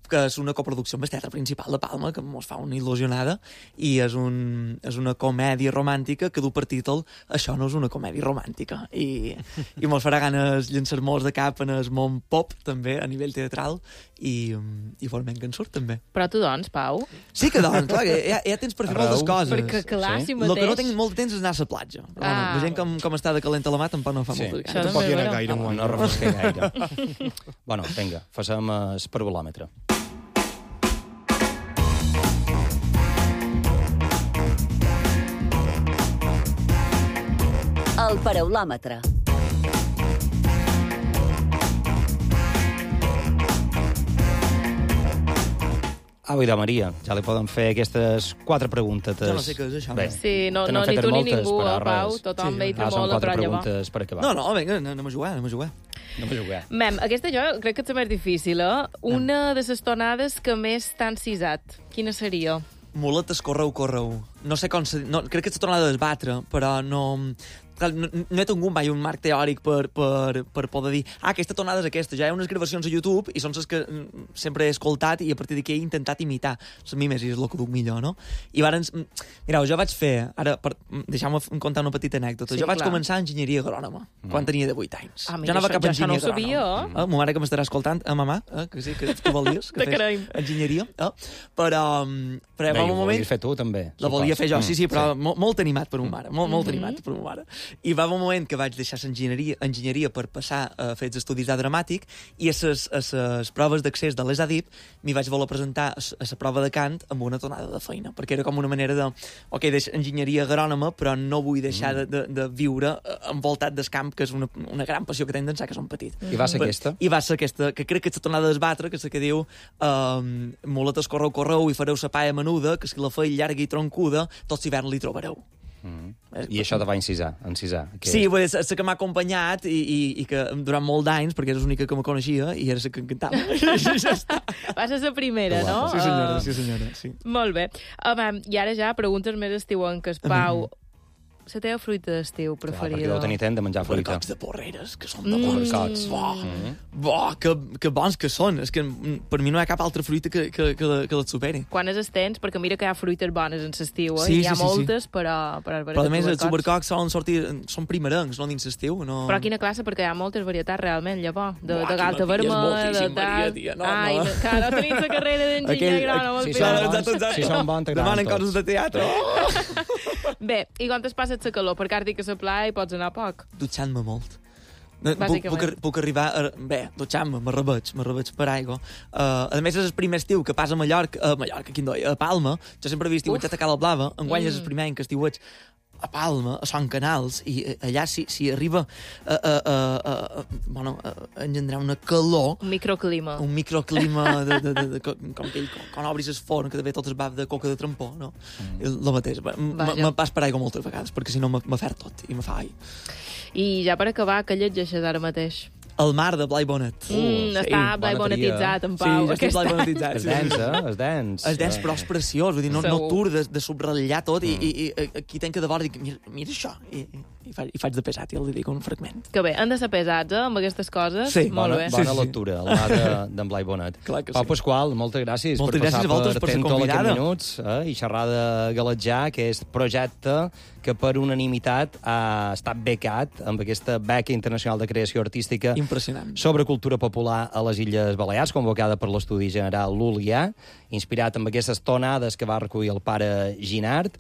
que és una coproducció amb el Teatre Principal de Palma, que mos fa una il·lusionada, i és, un, és una comèdia romàntica que du per títol Això no és una comèdia romàntica. I, i mos farà ganes llançar-mos de cap en el món pop, també, a nivell teatral, i, i forment que en surt, també. Però tu, doncs, Pau? Sí que, doncs, clar, ja, ja tens per fer Arreu. moltes coses. Perquè, clar, Sí. si mateix... El que no tinc molt de temps és anar a la platja. Però, Ah. bueno, veient com, com està de calenta la mà, tampoc no fa Sí. moltes Això ganes. Tampoc també, hi ha però- gaire No, enguany. no refresca gaire. Bueno, vinga, passem el parvulòmetre. El paraulòmetre. Au, idò, Maria, ja li poden fer aquestes quatre preguntes. Jo no sé què és això. Bé, Sí, no, te no n'han ni fet tu ni moltes, ningú, però eh, Pau, res. tothom Sí. ve i Ah, té són molt a quatre prendre. preguntes per acabar. No, no, vinga, anem a jugar, anem a jugar. No m'ho jugar. Mem, aquesta jo crec que és la més difícil, eh? Una de les tonades que més t'han cisat. Quina seria? Muletes, correu, correu. No sé com... Se... No, crec que s'ha tornat a desbatre, però no... Clar, no, no he tingut mai un marc teòric per, per, per poder dir ah, aquesta tonada és aquesta. Ja hi ha unes gravacions a YouTube i són les que mm, sempre he escoltat i a partir d'aquí he intentat imitar les mimes i és el que duc millor, no? I llavors, mireu, jo vaig fer... Ara, per, deixeu-me contar una petita anècdota. Sí, jo vaig clar. començar enginyeria agrònoma mm. quan tenia divuit anys. Ah, mira, jo anava això- cap a jo això no ho enginyeria sabia, agrònoma. eh? Ah, ma mare que m'estarà escoltant, a mamà, eh, que sí, que tu volies que Te creiem. fes enginyeria. Eh? Però, però Bé, va i un ho moment... volies fer tu, també. La volia supos. fer jo, sí, sí, però Mm, molt, molt animat per ma mare, molt, molt animat per ma mare. I va un moment que vaig deixar enginyeria, enginyeria per passar a fer els estudis d'art dramàtic i a les, a les proves d'accés de l'E S A D I P m'hi vaig voler presentar a, a la prova de cant amb una tonada de feina, perquè era com una manera de, ok, deixo enginyeria agrònoma, però no vull deixar de, de, de viure envoltat del camp, que és una, una gran passió que tinc d'ençà que som petit. I va ser aquesta? I va ser aquesta, que crec que és la tornada d'esbatre, que és la que diu um, muletes, correu, correu i fareu sa paia menuda, que si la feia llarga i troncuda, tots l'hivern li trobareu. Mm. I això te va incisar, encisar. Que... Sí, és la que m'ha acompanyat i, i, i que durant molt d'anys, perquè era l'única que me coneixia i era la que em cantava. ja està. Va ser la primera, Que no? guapa. Sí, senyora, Ah, sí, senyora. Sí. Molt bé. Um, I ara ja preguntes més estiuenques. Pau, la teva fruita d'estiu preferida? Clar, perquè deu tenir temps de menjar fruita. Barcots de porreres, que són de barcots. Mm. Bo, mm. bo que, que bons que són. És que per mi no hi ha cap altra fruita que, que, que, la, que les superi. Quan és tens? Perquè mira que hi ha fruites bones en l'estiu, eh? Sí, Hi ha sí, sí, moltes, sí. però... Però, però a més, els supercocs solen sortir... Són primerencs, no dins l'estiu. No... Però quina classe? Perquè hi ha moltes varietats realment, llavors. De, Buah, de galta vermella, de tal... No, Ai, no. que no tenim la carrera d'enginyer agrònom. Si són bons, si són bons, demanen coses de teatre. Bé, i quan es passes la calor? Perquè ara dic que a la playa hi pots anar poc. Dutxant-me molt. Puc, puc, puc arribar a... Bé, dutxant-me, me rebeig, me rebeig per aigua. Uh, a més, és el primer estiu que passa a Mallorca, a Mallorca, quin doi, a Palma. Jo sempre havia estiuatjat a Cala Blava, enguany mm. és el primer any que estiuatj a Palma, a Son Canals, i allà si, si arriba a, a, a, a, bueno, a engendrar una calor... Un microclima. Un microclima de, de, de, de, com aquell, quan obris el forn, que de fet tot es va de coca de trampó, no? Mm. El mateix. Me pas per aigua moltes vegades, perquè si no me fer tot i me fa ai. I ja per acabar, què llegeixes ara mateix? El mar de Blai Bonet. Mm, uh, està sí, Blai Bonetitzat, en Pau. Sí, ja està Blai Bonetitzat. És dens, eh? És dens. És dens, però és preciós. Vull dir, no, no tur de, de subratllar tot mm. i, i, i aquí tenc que de vora dic, mira, mira això. I, i, faig, I faig de pesat i el dedico un fragment. Que bé, han de ser pesats, eh, amb aquestes coses. Sí, molt bona, bé. bona sí, sí. lectura, el mar d'en Blai Bonet. Clar que Pau sí. Pasqual, moltes gràcies moltes per gràcies passar per, per ser convidada. minuts eh, i xerrar de Galetjà, que és projecte que per unanimitat ha estat becat amb aquesta beca internacional de creació artística impressionant sobre cultura popular a les Illes Balears, convocada per l'Estudi General Lul·lià, inspirat amb aquestes tonades que va recollir el pare Ginart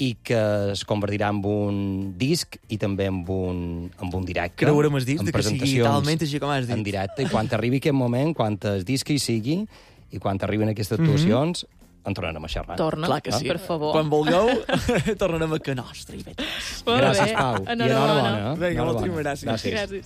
i que es convertirà en un disc i també en un, en un directe. Creurem els discs, que sigui talment així com has dit. En directe, i quan arribi aquest moment, quan el disc hi sigui, i quan arribin aquestes actuacions, mm -hmm. en tornarem a xerrar. Torna, clar que sí. per favor. Quan vulgueu, tornarem a que nostre. I gràcies, Pau. Enhorabona. I enhorabona. Vinga, moltíssimes gràcies. Gràcies. gràcies.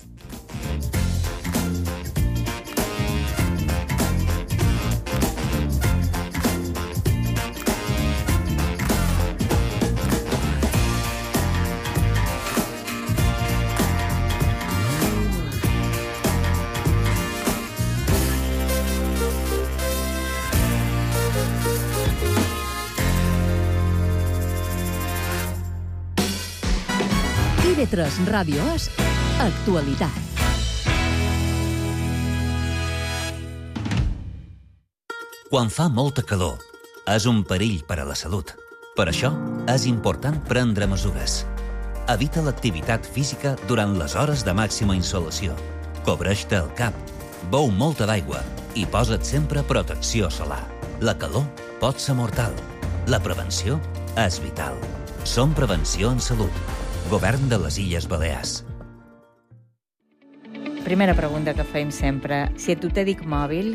I V tres Ràdio és actualitat. Quan fa molta calor, és un perill per a la salut. Per això, és important prendre mesures. Evita l'activitat física durant les hores de màxima insolació. Cobreix-te el cap, beu molta d'aigua i posa't sempre protecció solar. La calor pot ser mortal. La prevenció és vital. Som Prevenció en Salut. Govern de les Illes Balears. Primera pregunta que feim sempre. Si a tu te dic mòbil,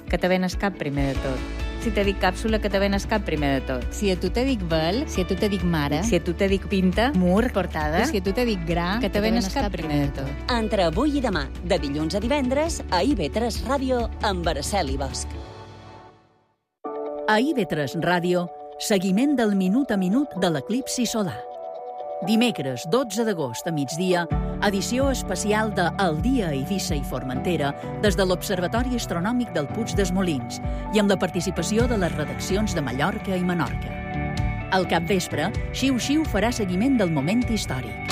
que te venes cap primer de tot? Si te dic càpsula, que te venes cap primer de tot? Si a tu te dic vel, si a tu te dic mare, si a tu te dic pinta, mur, portada, si a tu te dic gra, que te venes cap primer de tot? Entre avui i demà, de dilluns a divendres, a I V tres Ràdio, amb Araceli Bosch. A I V tres Ràdio, seguiment del minut a minut de l'eclipsi solar. Dimecres, dotze d'agost a migdia, edició especial de El dia a Eivissa i Formentera des de l'Observatori Astronòmic del Puig dels Molins i amb la participació de les redaccions de Mallorca i Menorca. Al capvespre, Xiu Xiu farà seguiment del moment històric.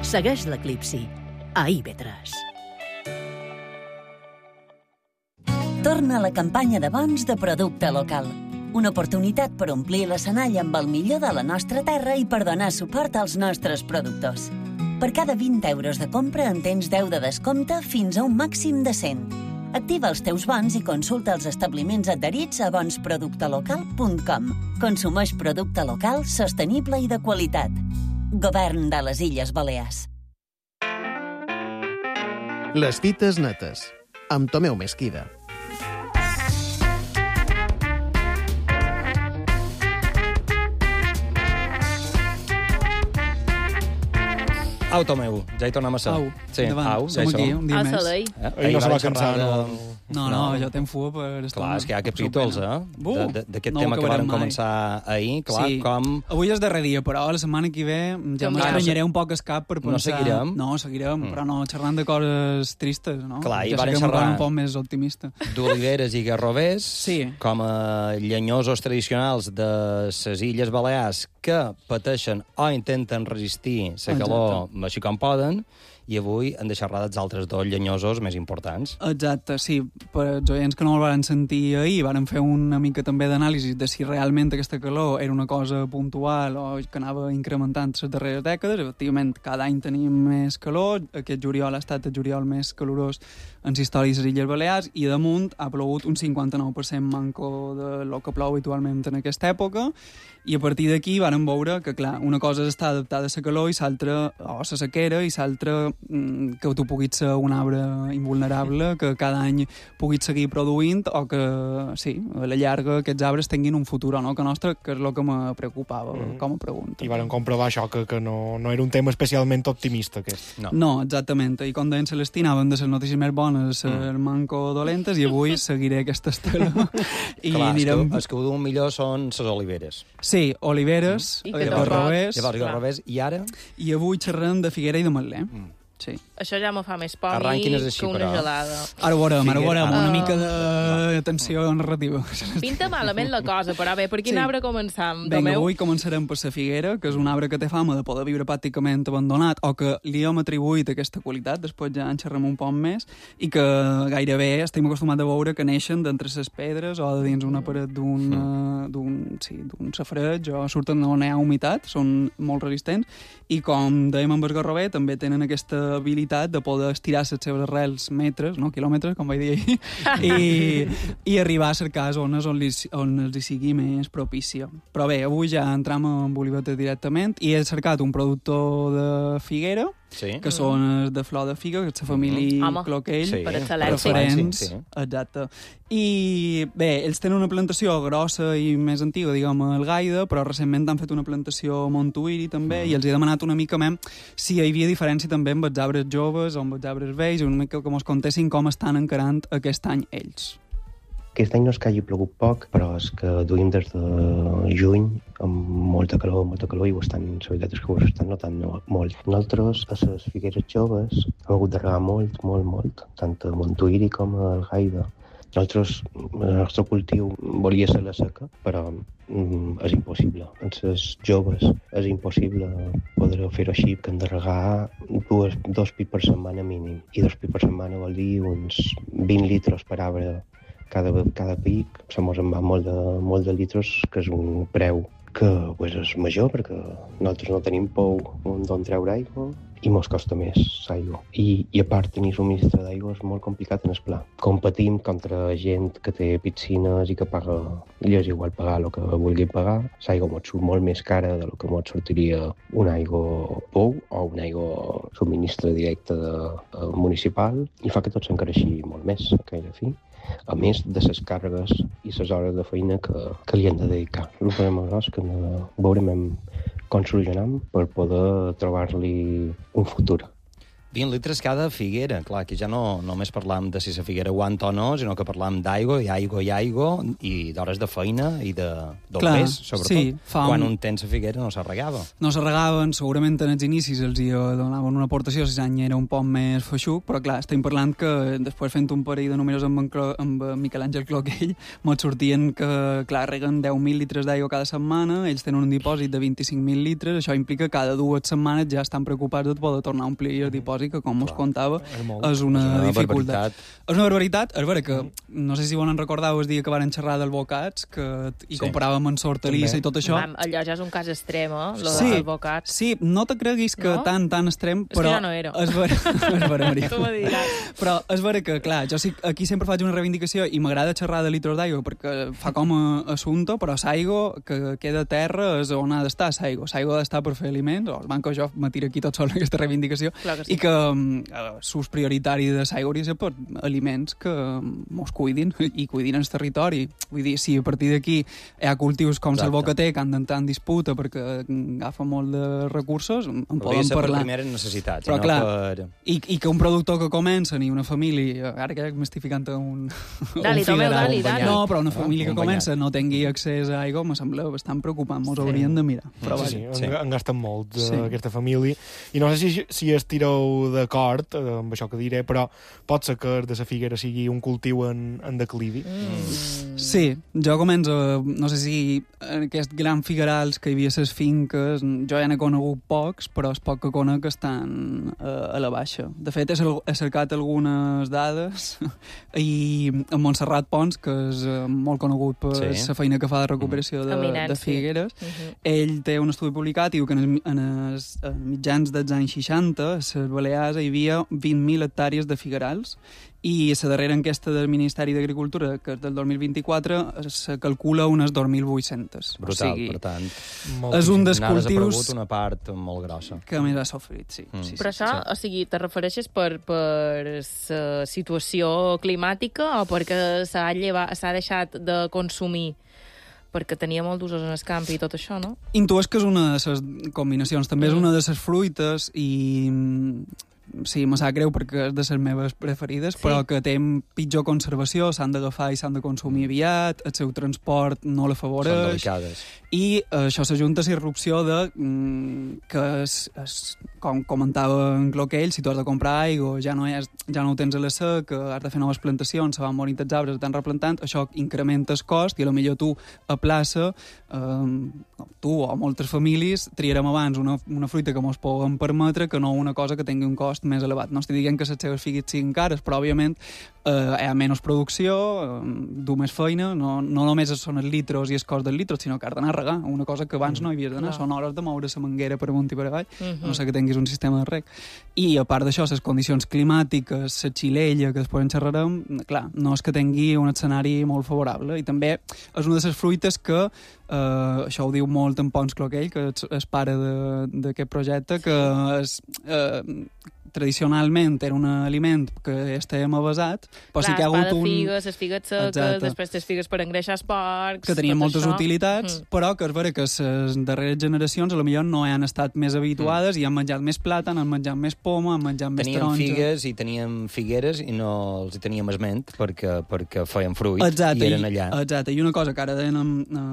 Segueix l'eclipsi a I V tres. Torna la campanya de bons de producte local. Una oportunitat per omplir l'escenari amb el millor de la nostra terra i per donar suport als nostres productors. Per cada vint euros de compra en tens deu de descompte fins a un màxim de cent. Activa els teus bons i consulta els establiments adherits a bons producte local punt com. Consumeix producte local, sostenible i de qualitat. Govern de les Illes Balears. Les fites netes, amb Tomeu Mesquida. Au, Tomeu, ja hi tornem a ser. Au, sí, endavant, au, ja som hi aquí, som. un dia Ah, més. Salei. Eh? Ahir no se va cansar, de... no? No, no, jo tenc fuga per estar... Clar, és que hi ha capítols, eh? Bu, De- de- D'aquest no ho tema que acabarem vàrem mai. començar ahir, clar, Sí. com... Avui és darrer dia, però la setmana que ve ja Com m'estranyaré un poc el cap per No pensar... seguirem? No, seguirem, Mm. però no xerrant de coses tristes, no? Clar, i ja varen sé que m'ho xerrar- un poc més optimista. d'oliveres i garrovers, Sí. com a llenyosos tradicionals de les Illes Balears que pateixen o intenten resistir la calor així com poden, i avui hem de xerrar dels altres dos llenyosos més importants. Exacte, sí. Per els oients que no el van sentir ahir, varen fer una mica també d'anàlisi de si realment aquesta calor era una cosa puntual o que anava incrementant les darreres dècades. Efectivament, cada any tenim més calor. Aquest juliol ha estat el juliol més calorós en la història de les Illes Balears i damunt ha plogut un cinquanta-nou per cent manco de lo que plou habitualment en aquesta època. I a partir d'aquí varen veure que, clar, una cosa és estar adaptada a la calor i l'altra, o a la sequera, i l'altra mm, que tu puguis ser un arbre invulnerable, que cada any puguis seguir produint, o que, sí, a la llarga aquests arbres tinguin un futur o no que nostre, que és el que me preocupava mm. com a pregunta. I varen comprovar això, que, que no, no era un tema especialment optimista, aquest. No, no exactament. I com deien Celestí, anaven de les notícies més bones a les mm. manco dolentes, i avui seguiré aquesta estela. I clar, anirem... és que, és que ho d'un millor són les oliveres. Sí, oliveres, I mm. que garrovers... Llavors, garrovers, i ara? I avui xerrem de Figuera i de Matler. Mm. Sí. Això ja me fa més por Arranquin que així, una però. gelada. Ara ho veurem, ara ho veurem, Figuera. una mica de tensió narrativa. Pinta malament la cosa, però bé, per quin Sí. arbre començam? Vinga, Tomeu? avui començarem per la figuera, que és un arbre que té fama de poder viure pràcticament abandonat, o que li hem atribuït aquesta qualitat, després ja en xerrem un poc més, i que gairebé estem acostumats a veure que neixen d'entre les pedres o de dins una paret d'un mm. d'un sí, d'un safareig, o surten on hi ha humitat, són molt resistents, i com dèiem amb el garrover, també tenen aquesta habilitat de poder estirar les seves arrels metres, no quilòmetres, com vaig dir ahir, i, i arribar a cercar zones on, li, on els hi sigui més propícia. Però bé, avui ja entram en olivetes directament i he cercat un productor de figuera, sí. que són els de flor de figa, que és la família Home, Cloquell, sí, per excel·lència. preferents, Sí, sí. exacte. I bé, ells tenen una plantació grossa i més antiga, diguem, al Gaida, però recentment han fet una plantació a Montuïri també, mm. i els he demanat una mica més si hi havia diferència també amb els arbres joves o amb els arbres vells, una mica que mos contessin com estan encarant aquest any ells. Aquest any no és que hagi plogut poc, però és que duim des de juny amb molta calor, molta calor, i ho estan, la veritat és que ho estan notant molt. Nosaltres, a les figueres joves, hem hagut de regar molt, molt, molt, tant a Montuïri com a Gaida. Nosaltres, el nostre cultiu volia ser la seca, però mm, és impossible. En les joves és impossible poder fer-ho així, que hem de regar dues, dos pits per setmana mínim. I dos pits per setmana vol dir uns vint litres per arbre cada, cada pic. Se mos en va molt de, molt de litres, que és un preu que pues, és major, perquè nosaltres no tenim pou d'on treure aigua i mos costa més l'aigua. I, I a part, tenir subministre d'aigua és molt complicat en el pla. Competim contra gent que té piscines i que paga, i és igual pagar el que vulgui pagar. L'aigua mos surt molt més cara del que mos sortiria un aigua pou o un aigua subministre directe de, de municipal, i fa que tot s'encareixi molt més, que a la fi. A més de les càrregues i les hores de feina que, que li han de dedicar. El problema és que no veurem com solucionam per poder trobar-li un futur. vint litres cada figuera. Clar, que ja no només parlam de si la figuera aguanta o no, sinó que parlam d'aigua, i aigua i aigua, i d'hores de feina i de d'olvers, sobretot. Sí, fa Quan un... un temps la figuera no s'arregava. No s'arregaven, segurament en els inicis els hi donaven una aportació, si l'any era un poc més feixuc, però clar, estem parlant que després fent un parell de números amb, en Clo... amb Miquel Àngel Cloquell, mos sortien que, clar, reguen deu mil litres d'aigua cada setmana, ells tenen un dipòsit de vint-i-cinc mil litres, això implica que cada dues setmanes ja estan preocupats de poder tornar a omplir el dipòsit, que com us contava, és, és una, és una dificultat. barbaritat. És una barbaritat, és vera que, no sé si volen recordar el dia que varen xerrar del bocats, que hi Sí. comparàvem en hortalissa i tot això. Vam, allò ja és un cas extrem, eh? Lo Sí, del bocat. sí, no te creguis que No? tan, tan extrem, És que però... ja no era. És vera, és vera, Maria. Tu m'ho diràs. Però és vera que, clar, jo sí, aquí sempre faig una reivindicació i m'agrada xerrar de litros d'aigua perquè fa com a assumpte, però l'aigua que queda a terra és on ha d'estar l'aigua. L'aigua ha d'estar per fer aliments, o el banco jo me tira aquí tot sol aquesta reivindicació, Clar que sí. i que eh, l'ús prioritari de l'aigua hauria de ser per aliments que mos cuidin i cuidin el territori. Vull dir, si a partir d'aquí hi ha cultius com el bocater que han d'entrar en disputa perquè agafa molt de recursos, en podria poden ser parlar. Per primeres necessitats, però, no clar, per... I, i que un productor que comença ni una família, ara que m'estic ficant un, dali, un figueral, dali, dali. no, però una família ah, que comença no tingui accés a aigua, me sembla bastant preocupant, mos sí. haurien de mirar. Però sí, sí, sí. En gasten molt, sí. aquesta família. I no sé si, si estireu d'acord eh, amb això que diré, però pot ser que de la figuera sigui un cultiu en, en declivi. Mm. Sí, jo començo, no sé si en aquests grans figuerals que hi havia les finques, jo ja n'he conegut pocs, però és poc que conec que estan eh, a la baixa. De fet, he, he cercat algunes dades i en Montserrat Pons, que és eh, molt conegut per la sí. feina que fa de recuperació de, de figueres, sí. uh-huh. ell té un estudi publicat i diu que en els, en els en mitjans dels anys seixanta a les Balears hi havia vint mil hectàrees de figuerals i la darrera enquesta del Ministeri d'Agricultura, que és del dos mil vint-i-quatre, se calcula unes dos mil vuit-cents. Brutal, o sigui, per tant. És un dels cultius... N'ha desaparegut una part molt grossa. Que més ha sofrit, sí. Mm. sí Però sí, això, sí. o sigui, te refereixes per, per la situació climàtica o perquè s'ha llevat, s'ha deixat de consumir perquè tenia molt d'usos en el camp i tot això, no? Intueix que és una de les combinacions. També mm. és una de les fruites i... Sí, me sap greu perquè és de les meves preferides, sí. però que té pitjor conservació, s'han d'agafar i s'han de consumir aviat, el seu transport no l'afavoreix. Són delicades. I eh, això s'ajunta a la irrupció de mm, que, és, és, com comentava en Cloquell, si tu has de comprar aigua, ja no, és, ja no ho tens a la sec, que has de fer noves plantacions, se van morint els arbres, estan replantant, això incrementa el cost i potser tu a plaça, eh, tu o moltes famílies, triarem abans una, una fruita que mos poden permetre que no una cosa que tingui un cost més elevat. No estic dient que les seves figues siguin cares, però, òbviament, eh, hi ha menys producció, eh, du més feina, no, no només són els litros i el cost del litro, sinó que has d'anar a regar, una cosa que abans no hi havies d'anar, no. són hores de moure la manguera per amunt i per avall, uh-huh. no sé que tinguis un sistema de reg. I, a part d'això, les condicions climàtiques, la xilella, que després en xerrarem, clar, no és que tingui un escenari molt favorable, i també és una de les fruites que Uh, això ho diu molt en Pons Cloquell, que és, és pare d'aquest projecte, que és, uh, tradicionalment era un aliment que estàvem avasat, però clar, sí que hi ha hagut un... un... figues, les figues seques, exacte. Després les figues per engreixar els porcs... Que tenien moltes això. utilitats, mm. però que és vera que les darreres generacions a lo millor no han estat més habituades mm. i han menjat més plàtan, han menjat més poma, han menjat més teníem taronja... Teníem figues i teníem figueres i no els teníem esment perquè, perquè feien fruit exacte, i eren allà. I, exacte, i una cosa que ara deien a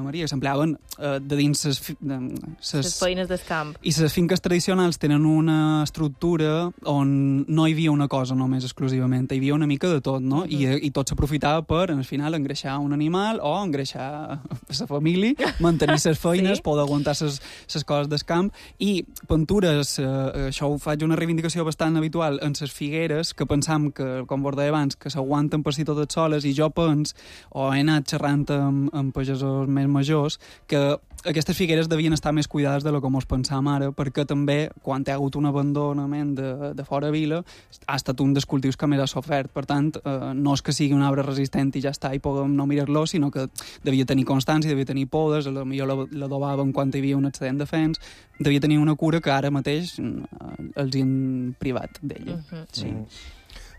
Maria, que s'empleaven uh, de dins les, de, ses, les feines del camp. I les finques tradicionals tenen una estructura on no hi havia una cosa només exclusivament, hi havia una mica de tot, no? Uh-huh. I, i tot s'aprofitava per, al final, engreixar un animal o engreixar la família, mantenir les feines, sí? Poder aguantar les coses del camp, i pintures, eh, això ho faig una reivindicació bastant habitual en les figueres, que pensam que, com vos deia abans, que s'aguanten per si totes soles, i jo pens, o he anat xerrant amb, amb pagesos més majors, que aquestes figueres devien estar més cuidades de lo que mos pensam ara, perquè també, quan hi ha hagut un abandonament de, de fora vila, ha estat un dels cultius que més ha sofert. Per tant, eh, no és que sigui un arbre resistent i ja està, i puguem no mirar-lo, sinó que devia tenir constància, devia tenir podes, potser l'adobaven quan hi havia un excedent de fens, devia tenir una cura que ara mateix eh, els hi han privat d'ella. Uh-huh. Sí. Mm.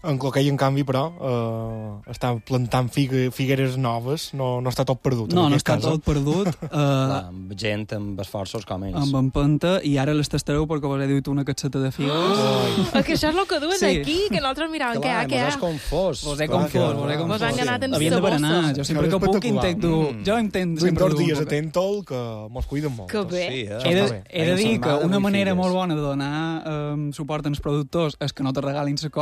En Cloquell, en canvi, però, eh, està plantant figue, figueres noves, no, no està tot perdut. No, no està casa. tot perdut. Eh, Clar, amb gent, amb esforços com ells. Amb empenta, i ara les tastareu perquè vos he dit una catseta de figues. Oh! És que això és el que duen sí. aquí, que nosaltres miràvem què hi ha, què hi ha. Mos has confós. Vos he confós, vos he confós. Vos han anat en havien de berenar. Jo sempre que puc intento... Mm. Jo intento sempre dur... dos dies a Tentol, que mos cuiden molt. Que bé. Sí, eh? He de, he de dir que una manera molt bona de donar um, suport als productors és que no te regalin les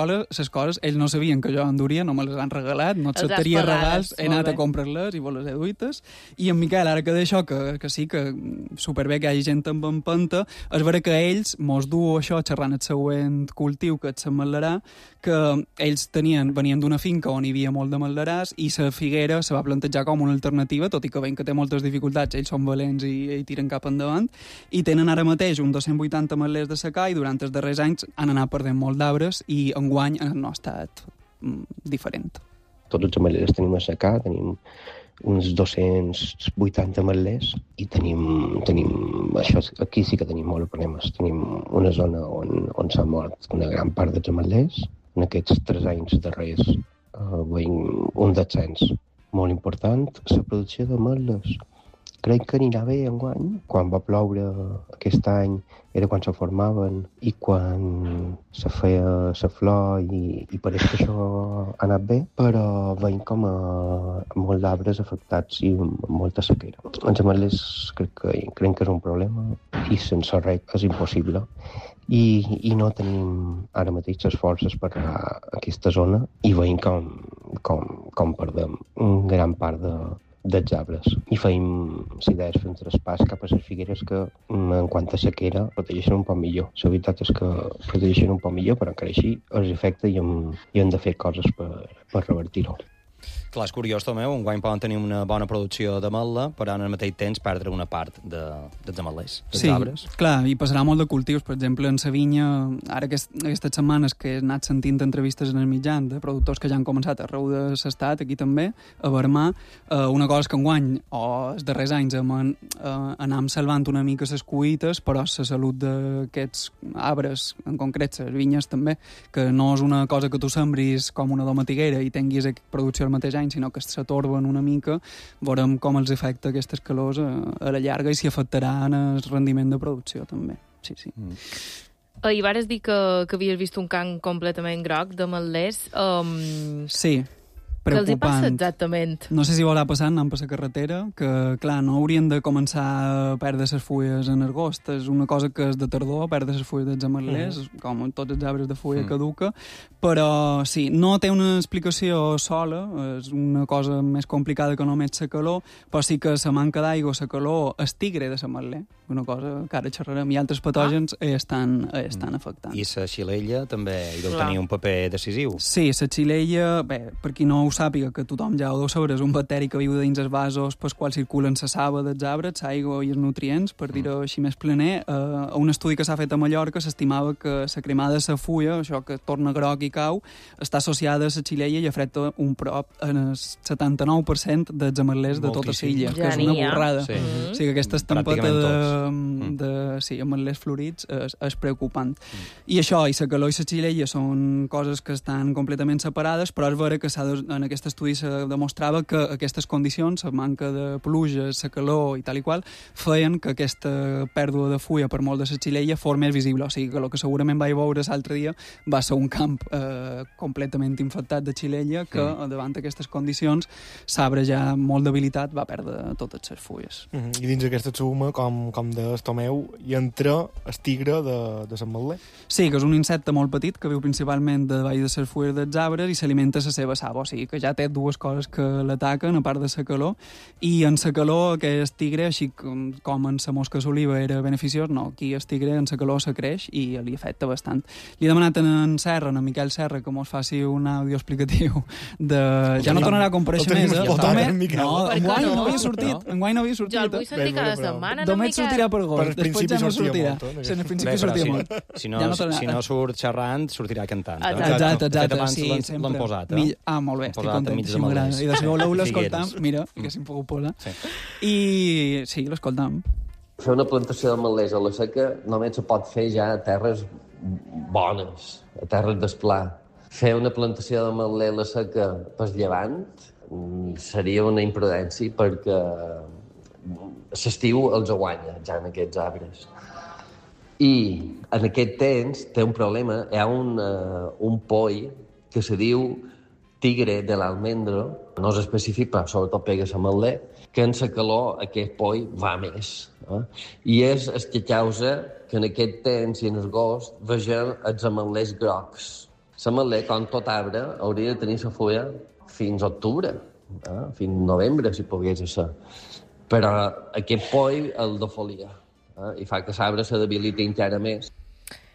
coses. Ells no sabien que jo enduria, no me les han regalat, no acceptaria regals, he anat a comprar-les i vos les he duites. I en Miquel, ara que d'això, que, que sí, que superbé que hi hagi gent amb empenta, és vera que ells mos du això xerrant el següent cultiu, que és l'ametlerà, que ells tenien, venien d'una finca on hi havia molt de ametleràs i la figuera se va plantejar com una alternativa, tot i que veiem que té moltes dificultats, ells són valents i, i tiren cap endavant, i tenen ara mateix un dos-cents vuitanta ametlers de secà i durant els darrers anys han anat perdent molt d'arbres i enguany no ha estat diferent. Tots els ametlers tenim a secar, tenim uns dos-cents vuitanta ametlers i tenim, tenim això, aquí sí que tenim molts problemes. Tenim una zona on, on s'ha mort una gran part dels ametlers. En aquests tres anys darrers eh, veiem un descens molt important. La producció d'ametlles crec que anirà bé enguany. Quan va ploure aquest any era quan se formaven i quan se feia la flor i, i pareix que això ha anat bé, però veiem com a, a molts arbres afectats i molta sequera. Els ametlers crec que, crec que és un problema i sense reg és impossible. I, i no tenim ara mateix les forces per anar a aquesta zona i veiem com, com, com perdem una gran part de, dels arbres. I feim, si deies, fem traspàs cap a les figueres que, en quant a sequera, protegeixen un poc millor. La veritat és que protegeixen un poc millor, però encara així els afecta i hem, i hem de fer coses per, per revertir-ho. Clar, és curiós, Tomeu, un guany poden tenir una bona producció d'ametla, però en el mateix temps perdre una part de, dels ametlers, dels sí, arbres. Clar, i passarà molt de cultius. Per exemple, en sa vinya, ara aquest, aquestes setmanes que he anat sentint entrevistes en els mitjans de productors que ja han començat arreu de l'estat, aquí també, a Vermà, eh, una cosa és que enguany, o els darrers anys, hem, eh, anam salvant una mica les cuites, però la salut d'aquests arbres, en concret les vinyes també, que no és una cosa que tu sembris com una domatiguera i tinguis producció al mateix any, sinó que s'atorben una mica, veurem com els afecta aquestes calors a, a la llarga i si afectaran el rendiment de producció també. Sí, sí. Mm. Uh, I vares dir que, que havies vist un camp completament groc d'ametlers. Um... Sí, preocupant. Què els hi passa exactament? No sé si veurà passant, anant per la carretera, que, clar, no haurien de començar a perdre les fulles en agost. És una cosa que és de tardor, perdre les fulles dels ametlers, mm. com tots els arbres de fulla mm. caduca, però sí, no té una explicació sola, és una cosa més complicada que només la calor, però sí que la manca d'aigua, la calor, el tigre de l'ametler, una cosa que ara xerrarem, i altres patògens ah. estan, estan afectant. I la xilella també hi deu tenir un paper decisiu. Sí, la xilella, bé, per qui no ho sàpiga, que tothom ja ho deu saber, és un bacteri que viu dins els vasos pels quals circulen la saba dels arbres, l'aigua i els nutrients, per dir-ho així més planer. Uh, un estudi que s'ha fet a Mallorca s'estimava que la cremada de la fulla, això que torna groc i cau, està associada a la xilella i afecta un prop en el setanta-nou per cent dels ametlers de tota l'illa, que és una borrada. Sí. Mm-hmm. O sigui que aquesta estampeta de, de, de sí, ametlers florits és, és preocupant. Mm. I això, i la calor i la xilella són coses que estan completament separades, però és vera que s'ha de, en aquest estudi se demostrava que aquestes condicions, la manca de pluja, la calor i tal i qual, feien que aquesta pèrdua de fulla per molt de la xilella fos més visible. O sigui que el que segurament vaig veure l'altre dia va ser un camp eh, completament infectat de xilella que, mm. davant d'aquestes condicions, l'arbre ja molt debilitat va perdre totes les fulles. Mm -hmm. I dins aquesta suma, com, com de Tomeu, hi entra el tigre de, de l'ametler? Sí, que és un insecte molt petit que viu principalment davall de les fulles dels arbres i s'alimenta la seva saba, o sigui que ja té dues coses que l'ataquen, a part de la calor, i en la calor aquest tigre, així com, com en la mosca d'oliva era beneficiós, no, aquí el tigre en la calor se creix i li afecta bastant. Li he demanat en Serra, en Miquel Serra, que mos faci un àudio explicatiu de... Ja no tornarà a comparèixer més, eh? No, enguany no havia sortit, enguany no havia sortit. Jo el vull sentir cada setmana, només sortirà per gos, després ja no sortirà. Sí, en principi sortia molt. Si no, si no surt xerrant, sortirà cantant. Exacte, exacte, sí, sempre. L'han posat, eh? Ah, molt bé, estic content. I de segon l'heu l'escoltam, mira, que s'hi pogut posar. I sí, l'escoltam. Fer una plantació d'ametlers a la seca només se pot fer ja a terres bones, a terres d'esplà. Fer una plantació d'ametler a la seca per llevant seria una imprudència perquè l'estiu els aguanya ja en aquests arbres. I en aquest temps té un problema, hi ha un, uh, un poll que se diu tigre de l'almendro, no és específic, però sobretot pega l'ametler, que en la calor aquest poll va més. Eh? I és el que causa que en aquest temps i en agost vegem els ametlers grocs. L'ametler, com tot arbre, hauria de tenir la fulla fins a octubre, eh? fins a novembre, si pogués ser. Però aquest poll el defolia, eh? i fa que l'arbre se debiliti encara més.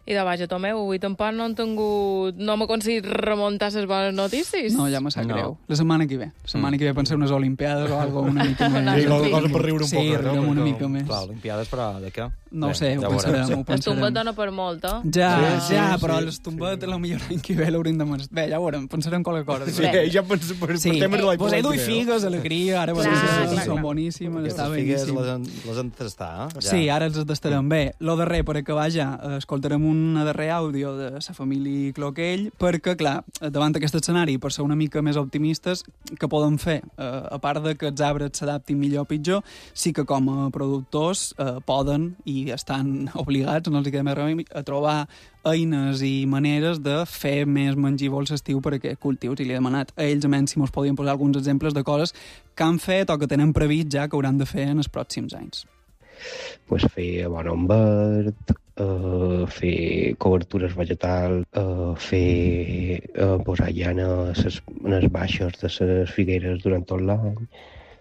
I de vaja, Tomeu, avui tampoc no han tingut... No m'ha aconseguit remuntar les bones notícies. No, ja me sap No. greu. La setmana que ve. La setmana Mm. que ve pensé unes Olimpiades o algo una mica més. Una Sí, cosa, cosa per riure un Sí, poc. riurem no? una Perquè- mica més. Clar, Olimpiades, però de què? No ho Bé, sé, ho ja pensarem, veurem. ho El pensarem. tombet dona per molt, eh? Ja, Sí, sí, ja, sí, però sí, l'estombet sí. potser l'any que ve l'hauríem de... mas- Bé, ja ho veurem, pensarem qualque cosa. Sí, Bé. ja pens, per, Sí, per temes de l'any pues he duit que ve, no? figues, alegria, ara Clar, clar, clar, clar, són clar. boníssimes, Aquestes està figues beníssim. les, han- les han de tastar, eh? Ja. Sí, ara els tastarem bé. Lo darrer, per acabar ja, eh, escoltarem un darrer àudio de la família Cloquell, perquè, clar, davant d'aquest escenari, per ser una mica més optimistes, que poden fer? Eh, a part de que els arbres s'adaptin millor o pitjor, sí que com a productors eh, poden i estan obligats, no els hi queda més remei, a trobar eines i maneres de fer més mengívols l'estiu per a aquests cultius. I li he demanat a ells, a menys, si mos podien posar alguns exemples de coses que han fet o que tenen previst ja que hauran de fer en els pròxims anys. Pues fer abonom verd, uh, fer cobertures vegetals, uh, fer uh, posar llana a les, a les baixes de les figueres durant tot l'any.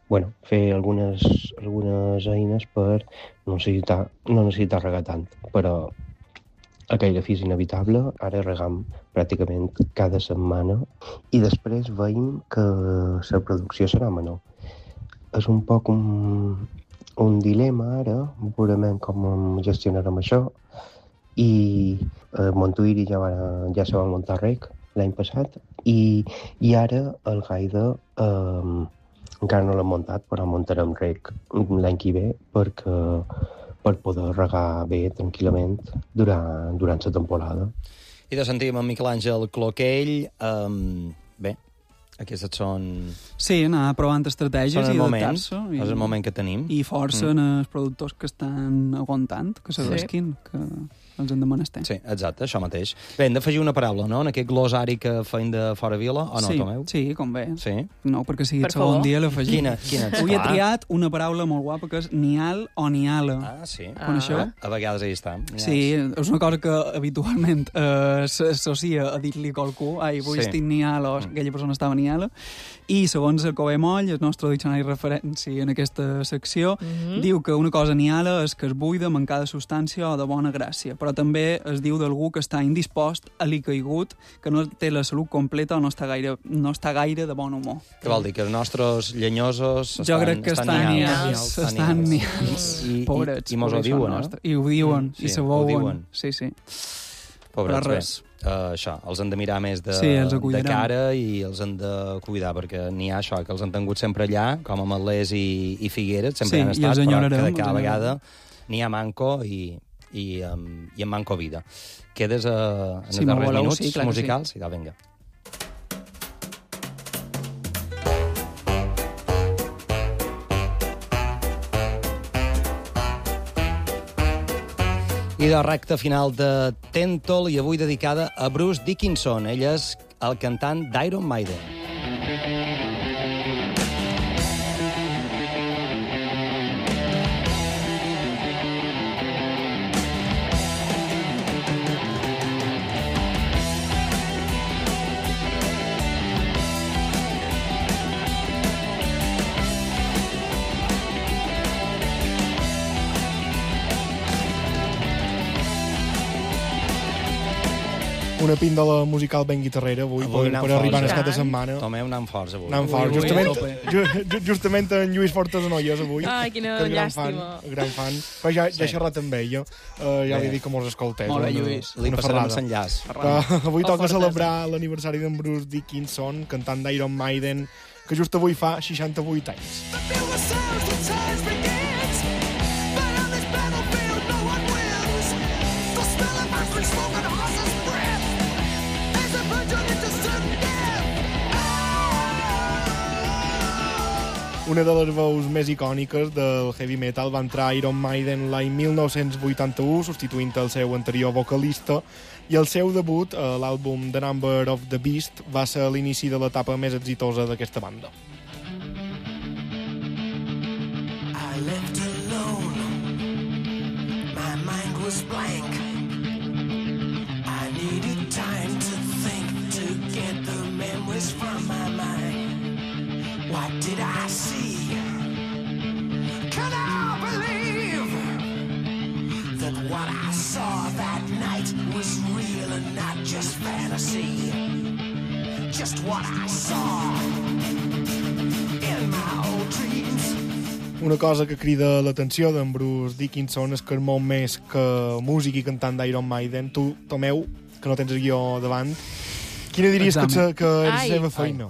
Bueno, fer algunes, algunes eines per no necessitar, no necessitar regar tant, però aquell fi és inevitable. Ara regam pràcticament cada setmana i després veiem que la producció serà menor. És un poc un, un dilema ara, veurem com gestionarem això, i a Montuïri ja, va, ja se va muntar rec l'any passat, i, i ara el Gaida eh, encara no l'hem muntat, però muntarem rec l'any que ve perquè, per poder regar bé, tranquil·lament, durant, durant la temporada. I de sentim en Miquel Àngel Cloquell, um, bé, aquestes són... Sí, anar provant estratègies Són i el moment, adaptar-se. I, és el moment que tenim. I força mm. en els productors que estan aguantant, que s'arrisquin, sí. que els hem de menester. Sí, exacte, això mateix. Bé, hem d'afegir una paraula, no?, en aquest glossari que feim de Fora Vila, o no, sí, Tomeu? Sí, com bé. Sí? No, perquè sigui Per el segon favor. dia l'afegim. Quina? Quina? Avui he Clar. triat una paraula molt guapa que és nial o niala. Ah, sí. Con això? A vegades ahí està. Sí, és una cosa que habitualment eh, s'associa a dir-li a qualcú, ai, avui Sí. estic nial, o aquella persona estava niala, i segons el Cové Moll, el nostre diccionari de referència en aquesta secció, Mhm. diu que una cosa niala és que és buida, mancada de substància o de bona gràcia, però també es diu d'algú que està indispost, alicaigut, que no té la salut completa o no està gaire, no està gaire de bon humor. Què vol dir? Que els nostres llenyosos estan, Jo crec que estan nials, estan nials, I, i, pobrets. I mos ho pobrets diuen, són no? I ho diuen, Sí, i se ho veuen. diuen. Sí, sí. Pobrets, Però bé. res. Uh, això, els han de mirar més de, Sí, els de cuidarem. cara i els han de cuidar, perquè n'hi ha això, que els han tingut sempre allà, com a Matlers i, i Figueres, sempre Sí, han i estat, els però enyorarem, cada, els cada enyorarem. vegada n'hi ha manco i, i, um, i en manco vida. Quedes uh, en Sí, els m'ho darrers voleu? minuts Sí, clar que musicals? Sí. Vinga. I de recta final de Tentol, i avui dedicada a Bruce Dickinson. Ell és el cantant d'Iron Maiden. Una píndola musical ben guitarrera avui, Avui per, anant per arribar forts, a eh? cada setmana. Tomeu, anant forts avui. Anant fort. avui Justament, a tope. ju, ju- justament en Lluís Fortes Noies avui. Ai, quina que és gran fan, llàstima. gran fan. Però ja, ja he Sí. xerrat amb ell, jo. Uh, ja Bé. li dic que mos escoltés. Molt bé, una- Lluís. Li una passarem ferrada. l'enllaç. Que avui O toca Fortes. celebrar l'aniversari d'en Bruce Dickinson, cantant d'Iron Maiden, que just avui fa seixanta-vuit anys. Una de les veus més icòniques del heavy metal va entrar a Iron Maiden l'any mil nou-cents vuitanta-u, substituint el seu anterior vocalista, i el seu debut, a l'àlbum The Number of the Beast, va ser l'inici de l'etapa més exitosa d'aquesta banda. I left alone. My mind was blank. I needed time to think, to get the memories from my mind. What did I see? Can I believe that what I saw that night was never see just what I saw in my old dreams. Una cosa que crida l'atenció d'en Bruce Dickinson és que és molt més que músic i cantant d'Iron Maiden. Tu, Tomeu, que no tens el guió davant, quina diries que, Examen. que és la Ai. seva feina?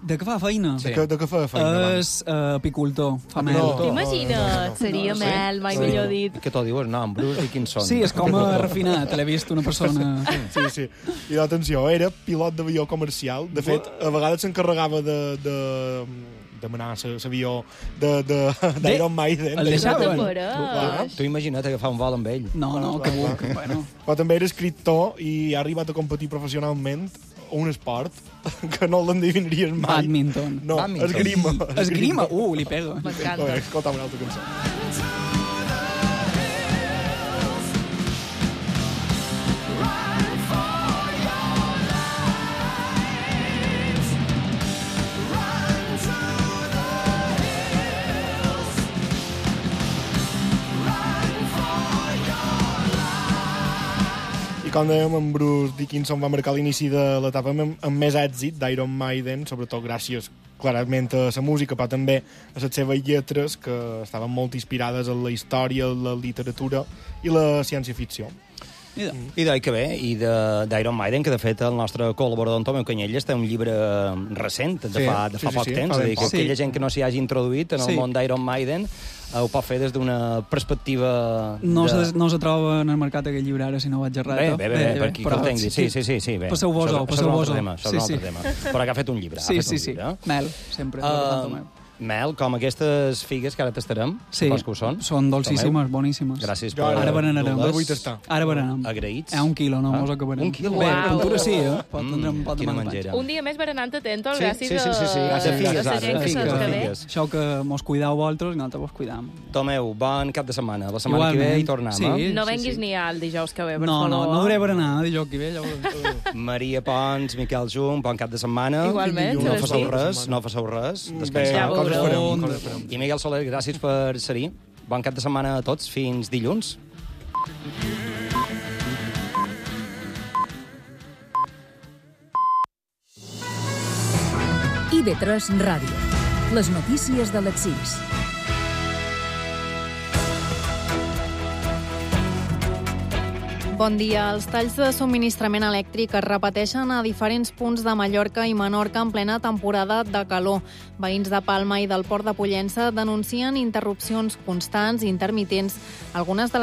De què fa feina? De, que, de què fa feina? És uh, apicultor, fa mel. No. T'imagines? Seria No, sí. mel, mai Sí. millor dit. Què t'ho dius? No, en Bruce Dickinson. Sí, és com a refinat, l'he vist una persona... Sí, sí. I l'atenció, era pilot d'avió comercial. De fet, a vegades s'encarregava de... de demanar l'avió d'Iron Maiden. El deixaven? Tu imagina't agafar un vol amb ell. No, no, que buc. Bueno. Però també era escriptor i ha arribat a competir professionalment un esport que no l'endevinaries mai. Badminton. No, Badminton. esgrima. Esgrima? Uh, li pega. M'encanta. Bé, escolta una altra cançó. I com dèiem, en Bruce Dickinson va marcar l'inici de l'etapa amb, amb més èxit d'Iron Maiden, sobretot gràcies clarament a la música, però també a les seves lletres, que estaven molt inspirades en la història, la literatura i la ciència-ficció. I d'oi que bé, i d'Iron Maiden, que de fet el nostre col·laborador Tomeu Canyelles té un llibre recent, de Sí, fa, de fa sí, poc sí, temps, fa és a dir, ben que poc. aquella gent que no s'hi hagi introduït en el Sí. món d'Iron Maiden eh, ho pot fer des d'una perspectiva... No, de... se, no se troba en el mercat aquest llibre ara, si no vaig errat. Bé, bé, bé, bé, per aquí que el tingui. Sí, sí, sí, sí, bé. Passeu vos Això- això és passeu un vos altre tema, això és un sí, altre tema. Però que ha fet un llibre, ha Sí, fet sí, un sí. llibre. Mel, sempre. Uh, mel, com aquestes figues que ara tastarem, Sí, supos que ho són. són dolcíssimes, Tomeu, boníssimes. Gràcies Jo per... ara- Ara berenarem. dur-les. vull tastar. Ara berenem. Agraïts. Eh, un quilo, no Ah, mos acabarem. un quilo? Bé, Uau. pintura sí, eh? Pot Mm, tindre un pot de quina mal mengera. Un dia més berenant atento, Sí, gràcies sí, sí, sí, sí. a, Gràcies, a figues, la ara, gent que figues, se'ls que ve. figues. Això que mos cuideu vosaltres i nosaltres vos cuidam. Tomeu, bon cap de setmana. La setmana que ve hi tornem, Sí. eh? No Sí, venguis sí. ni al dijous que ve, per No, favor. no, no duré berenar dijous que ve, ja ho veurem. Maria Pons, Miquel Jung, bon cap de setmana. Igualment, No sí. fasseu res, no fasseu res. Bé, Descanseu. Ja coses veureu. farem, coses farem. I Miguel Soler, gràcies per ser-hi. Bon cap de setmana a tots. Fins dilluns. I V tres Ràdio. Les notícies de les sis. Bon dia. Els talls de subministrament elèctric es repeteixen a diferents punts de Mallorca i Menorca en plena temporada de calor. Veïns de Palma i del Port de Pollença denuncien interrupcions constants i intermitents. Algunes de les